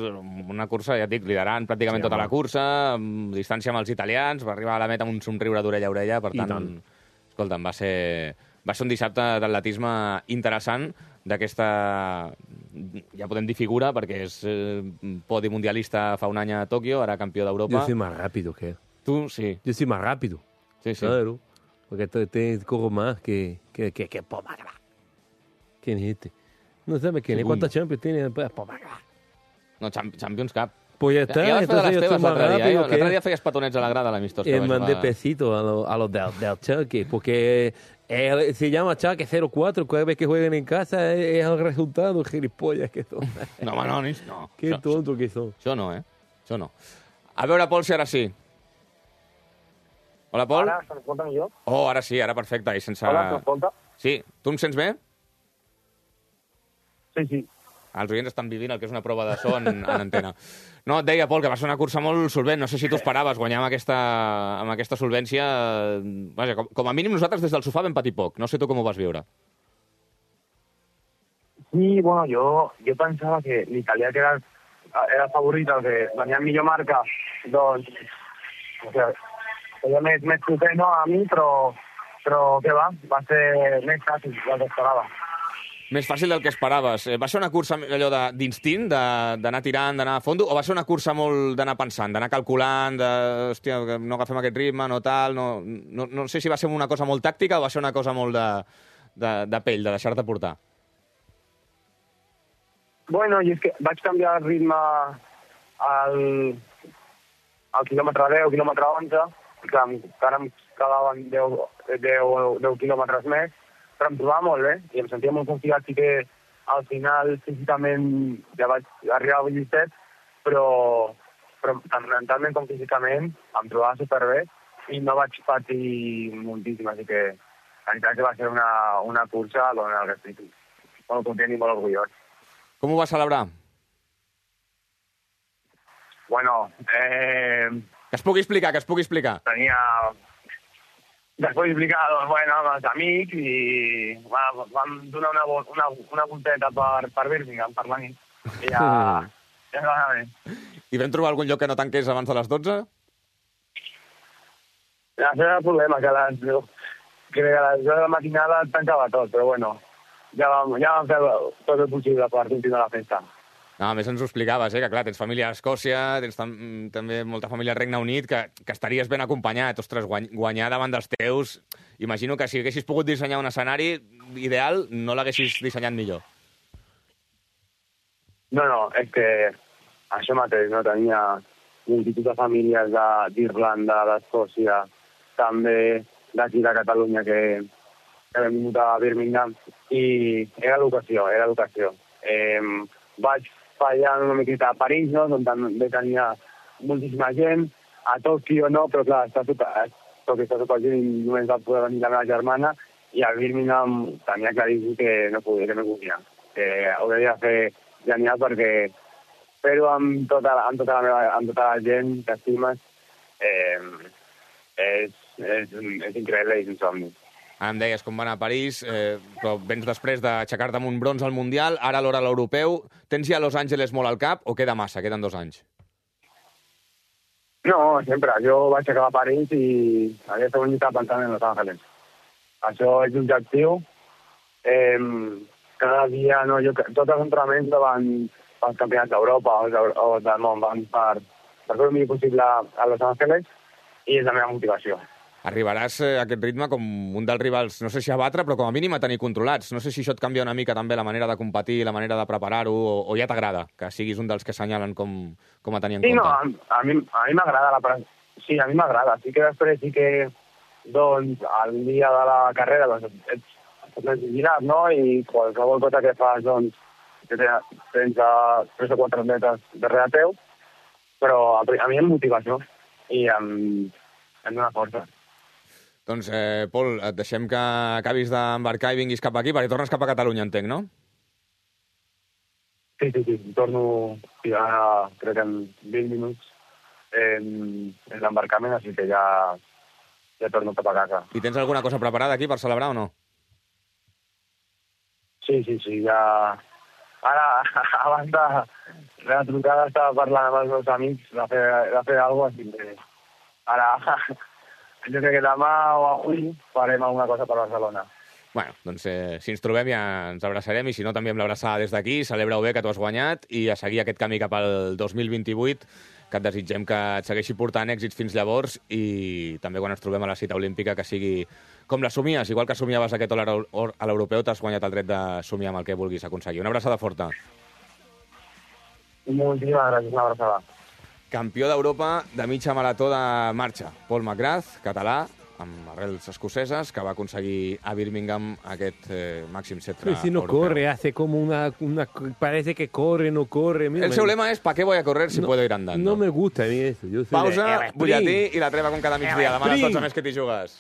Speaker 4: una cursa, ja et dic, liderant pràcticament
Speaker 12: Sí,
Speaker 4: tota
Speaker 12: home.
Speaker 4: la cursa, amb distància amb els italians, va arribar a la meta amb un somriure d'orella a orella, per
Speaker 12: I
Speaker 4: tant,
Speaker 12: tant.
Speaker 4: escolta'm, va ser, va ser un dissabte d'atletisme interessant, d'aquesta, ja podem dir figura, perquè és eh, podi mundialista fa un any a Tòquio, ara campió d'Europa.
Speaker 23: Yo soy más rápido que él.
Speaker 4: Tu, sí.
Speaker 23: Yo soy más rápido.
Speaker 4: Sí, sí.
Speaker 23: Claro. Porque te, te corro más que... que, que, que Paul McGrath. ¿Quién es este? No sabes quién es.
Speaker 4: Uy.
Speaker 23: ¿Cuántas Champions tiene Paul McGrath?
Speaker 4: No, Champ- Champions Cup.
Speaker 23: Pues ya está.
Speaker 4: Ja vas fer de
Speaker 23: entonces
Speaker 4: les
Speaker 23: yo
Speaker 4: teves
Speaker 23: estoy más
Speaker 4: l'altre dia, eh?
Speaker 23: rápido que
Speaker 4: L'altre
Speaker 23: él.
Speaker 4: dia feies petonets a la grada a l'amistós. que
Speaker 23: Eh,
Speaker 4: vas
Speaker 23: mandé
Speaker 4: jugar.
Speaker 23: pesito a los a los del, del Chucky, porque él se llama Chucky cero cuatro, cada vez que jueguen en casa es, es el resultado, gilipollas que son.
Speaker 4: No, home, no, nis, no.
Speaker 23: Qué
Speaker 4: Això-
Speaker 23: tonto que son.
Speaker 4: Això no, eh? Això no. A veure, Pol, si ara sí. Hola, Pol.
Speaker 2: Ara s'escolta millor?
Speaker 4: Oh, ara sí, ara perfecte. I sense...
Speaker 2: Hola, s'escolta?
Speaker 4: Sí. Tu em sents bé?
Speaker 2: Sí, sí.
Speaker 4: Els oients estan vivint el que és una prova de so en, en antena. No, et deia, Pol, que va ser una cursa molt solvent. No sé si tu esperaves guanyar amb aquesta, amb aquesta solvència. Vaja, com, com a mínim nosaltres des del sofà vam patir poc. No sé tu com ho vas viure.
Speaker 2: Sí, bueno, jo, jo pensava que l'italià que era, era el favorit, el que venia amb millor marca, doncs, o sigui, feia més, més proper, no, a mi, però, però què va, va ser més fàcil del que esperava.
Speaker 4: Més fàcil del que esperaves. Eh, Va ser una cursa allò de- d'instint, de- d'anar tirant, d'anar a fondo, o va ser una cursa molt d'anar pensant, d'anar calculant, de, hòstia, que no agafem aquest ritme, no tal, no, no, no sé si va ser una cosa molt tàctica o va ser una cosa molt de, de, de pell, de deixar-te portar.
Speaker 2: Bueno, i és que vaig canviar el ritme al, al quilòmetre deu, quilòmetre onze, que em- que ara em quedaven deu, deu, deu quilòmetres més, però em trobava molt bé i em sentia molt confiat. Sí que al final físicament ja vaig arribar a disset, però, però tant mentalment com físicament em trobava superbé i no vaig patir moltíssim, així que la veritat és que va ser una, una cursa en la que estic molt content i molt orgullós.
Speaker 4: Com ho vas celebrar?
Speaker 2: Bueno, eh,
Speaker 4: Que es pugui explicar, que es pugui explicar.
Speaker 2: tenia... Després explicar, doncs, bueno, amb els amics i va, vam donar una, vo- una, una volteta per, per Birmingham, per la nit. I ja, ja ens va anar bé.
Speaker 4: I vam trobar algun lloc que no tanqués abans de les dotze?
Speaker 2: Això era el problema, que a les, que a les deu de la matinada tancava tot, però bueno, ja vam, ja vam fer tot el possible per continuar la festa.
Speaker 4: No, a més ens ho explicaves, eh? Que clar, tens família a Escòcia, tens tam també molta família al Regne Unit, que, que estaries ben acompanyat. Ostres, guany guanyar davant dels teus... Imagino que si haguessis pogut dissenyar un escenari ideal, no l'haguessis dissenyat millor.
Speaker 2: No, no, és que això mateix, no? Tenia multitud de famílies d'Irlanda, d'Escòcia, també d'aquí de Catalunya, que, que hem vingut a Birmingham, i era l'ocasió, era l'ocasió. Eh, vaig fallar una miqueta a París, no? On també tenia moltíssima gent, a Tòquio no, però clar, està tot, perquè està tot el gent i només va poder venir la meva germana, i a Birmingham tenia claríssim que no podia, que no podia, que ho devia fer genial perquè fer-ho amb tota, amb, tota la meva, amb tota la gent que estimes eh, és, és, és increïble i és un somni.
Speaker 4: Ara em deies com va anar a París, eh, però vens després d'aixecar-te amb un bronze al Mundial, ara l'hora a l'Europeu. Tens ja Los Angeles molt al cap o queda massa? Queden dos anys.
Speaker 2: No, sempre. Jo vaig acabar a París i aquesta unitat pensant en Los Angeles. Això és l'objectiu. Eh, cada dia, no, jo, tots els entrenaments van pels campionats d'Europa o, o del món, van per, per fer el millor possible a Los Angeles i és la meva motivació.
Speaker 4: Arribaràs a aquest ritme com un dels rivals, no sé si a batre, però com a mínim a tenir controlats. No sé si això et canvia una mica també la manera de competir, la manera de preparar-ho, o, o ja t'agrada que siguis un dels que assenyalen com, com a tenir en
Speaker 2: sí,
Speaker 4: compte?
Speaker 2: Sí, no, a, a mi a mi m'agrada la sí, a mi m'agrada. Sí que després sí que, doncs, al dia de la carrera, doncs, ets, ets vigilat, no? I qualsevol cosa que fas, doncs, que tens a tres o quatre metres darrere teu, però a, a mi em motivació i em, em dona força.
Speaker 4: Doncs, eh, Pol, et deixem que acabis d'embarcar i vinguis cap aquí, perquè tornes cap a Catalunya, entenc, no?
Speaker 2: Sí, sí, sí. Torno ara, crec que en vint minuts en, en l'embarcament, així que ja, ja torno cap a casa.
Speaker 4: I tens alguna cosa preparada aquí per celebrar o no?
Speaker 2: Sí, sí, sí, ja... Ara, abans de la trucada, estava parlant amb els meus amics de fer, de fer alguna cosa, així que ara... Jo crec que demà o avui farem alguna cosa per Barcelona.
Speaker 4: Bueno, doncs eh, si ens trobem ja ens abraçarem i si no també amb l'abraçada des d'aquí. Celebra-ho bé que t'ho has guanyat i a seguir aquest camí cap al dos mil vint-i-vuit, que et desitgem que et segueixi portant èxits fins llavors i també quan ens trobem a la cita olímpica que sigui com la somies. Igual que somiaves aquest or a l'europeu, t'has guanyat el dret de somiar amb el que vulguis aconseguir. Una abraçada forta.
Speaker 2: Moltíssimes gràcies, una abraçada.
Speaker 4: Campió d'Europa de mitja marató de marxa. Paul McGrath, català, amb arrels escoceses, que va aconseguir a Birmingham aquest eh, màxim centre
Speaker 23: Pero si no
Speaker 4: europeu.
Speaker 23: corre, hace como una, una... Parece que corre, no corre. Mira,
Speaker 4: El seu lema és ¿para qué voy a correr si
Speaker 23: no,
Speaker 4: puedo ir andando?
Speaker 23: No me gusta a mí eso. Yo soy
Speaker 4: Pausa,
Speaker 23: de-
Speaker 4: butlletí i la treva com cada migdia. Demà a les
Speaker 23: Sprint.
Speaker 4: dotze més que t'hi jugues.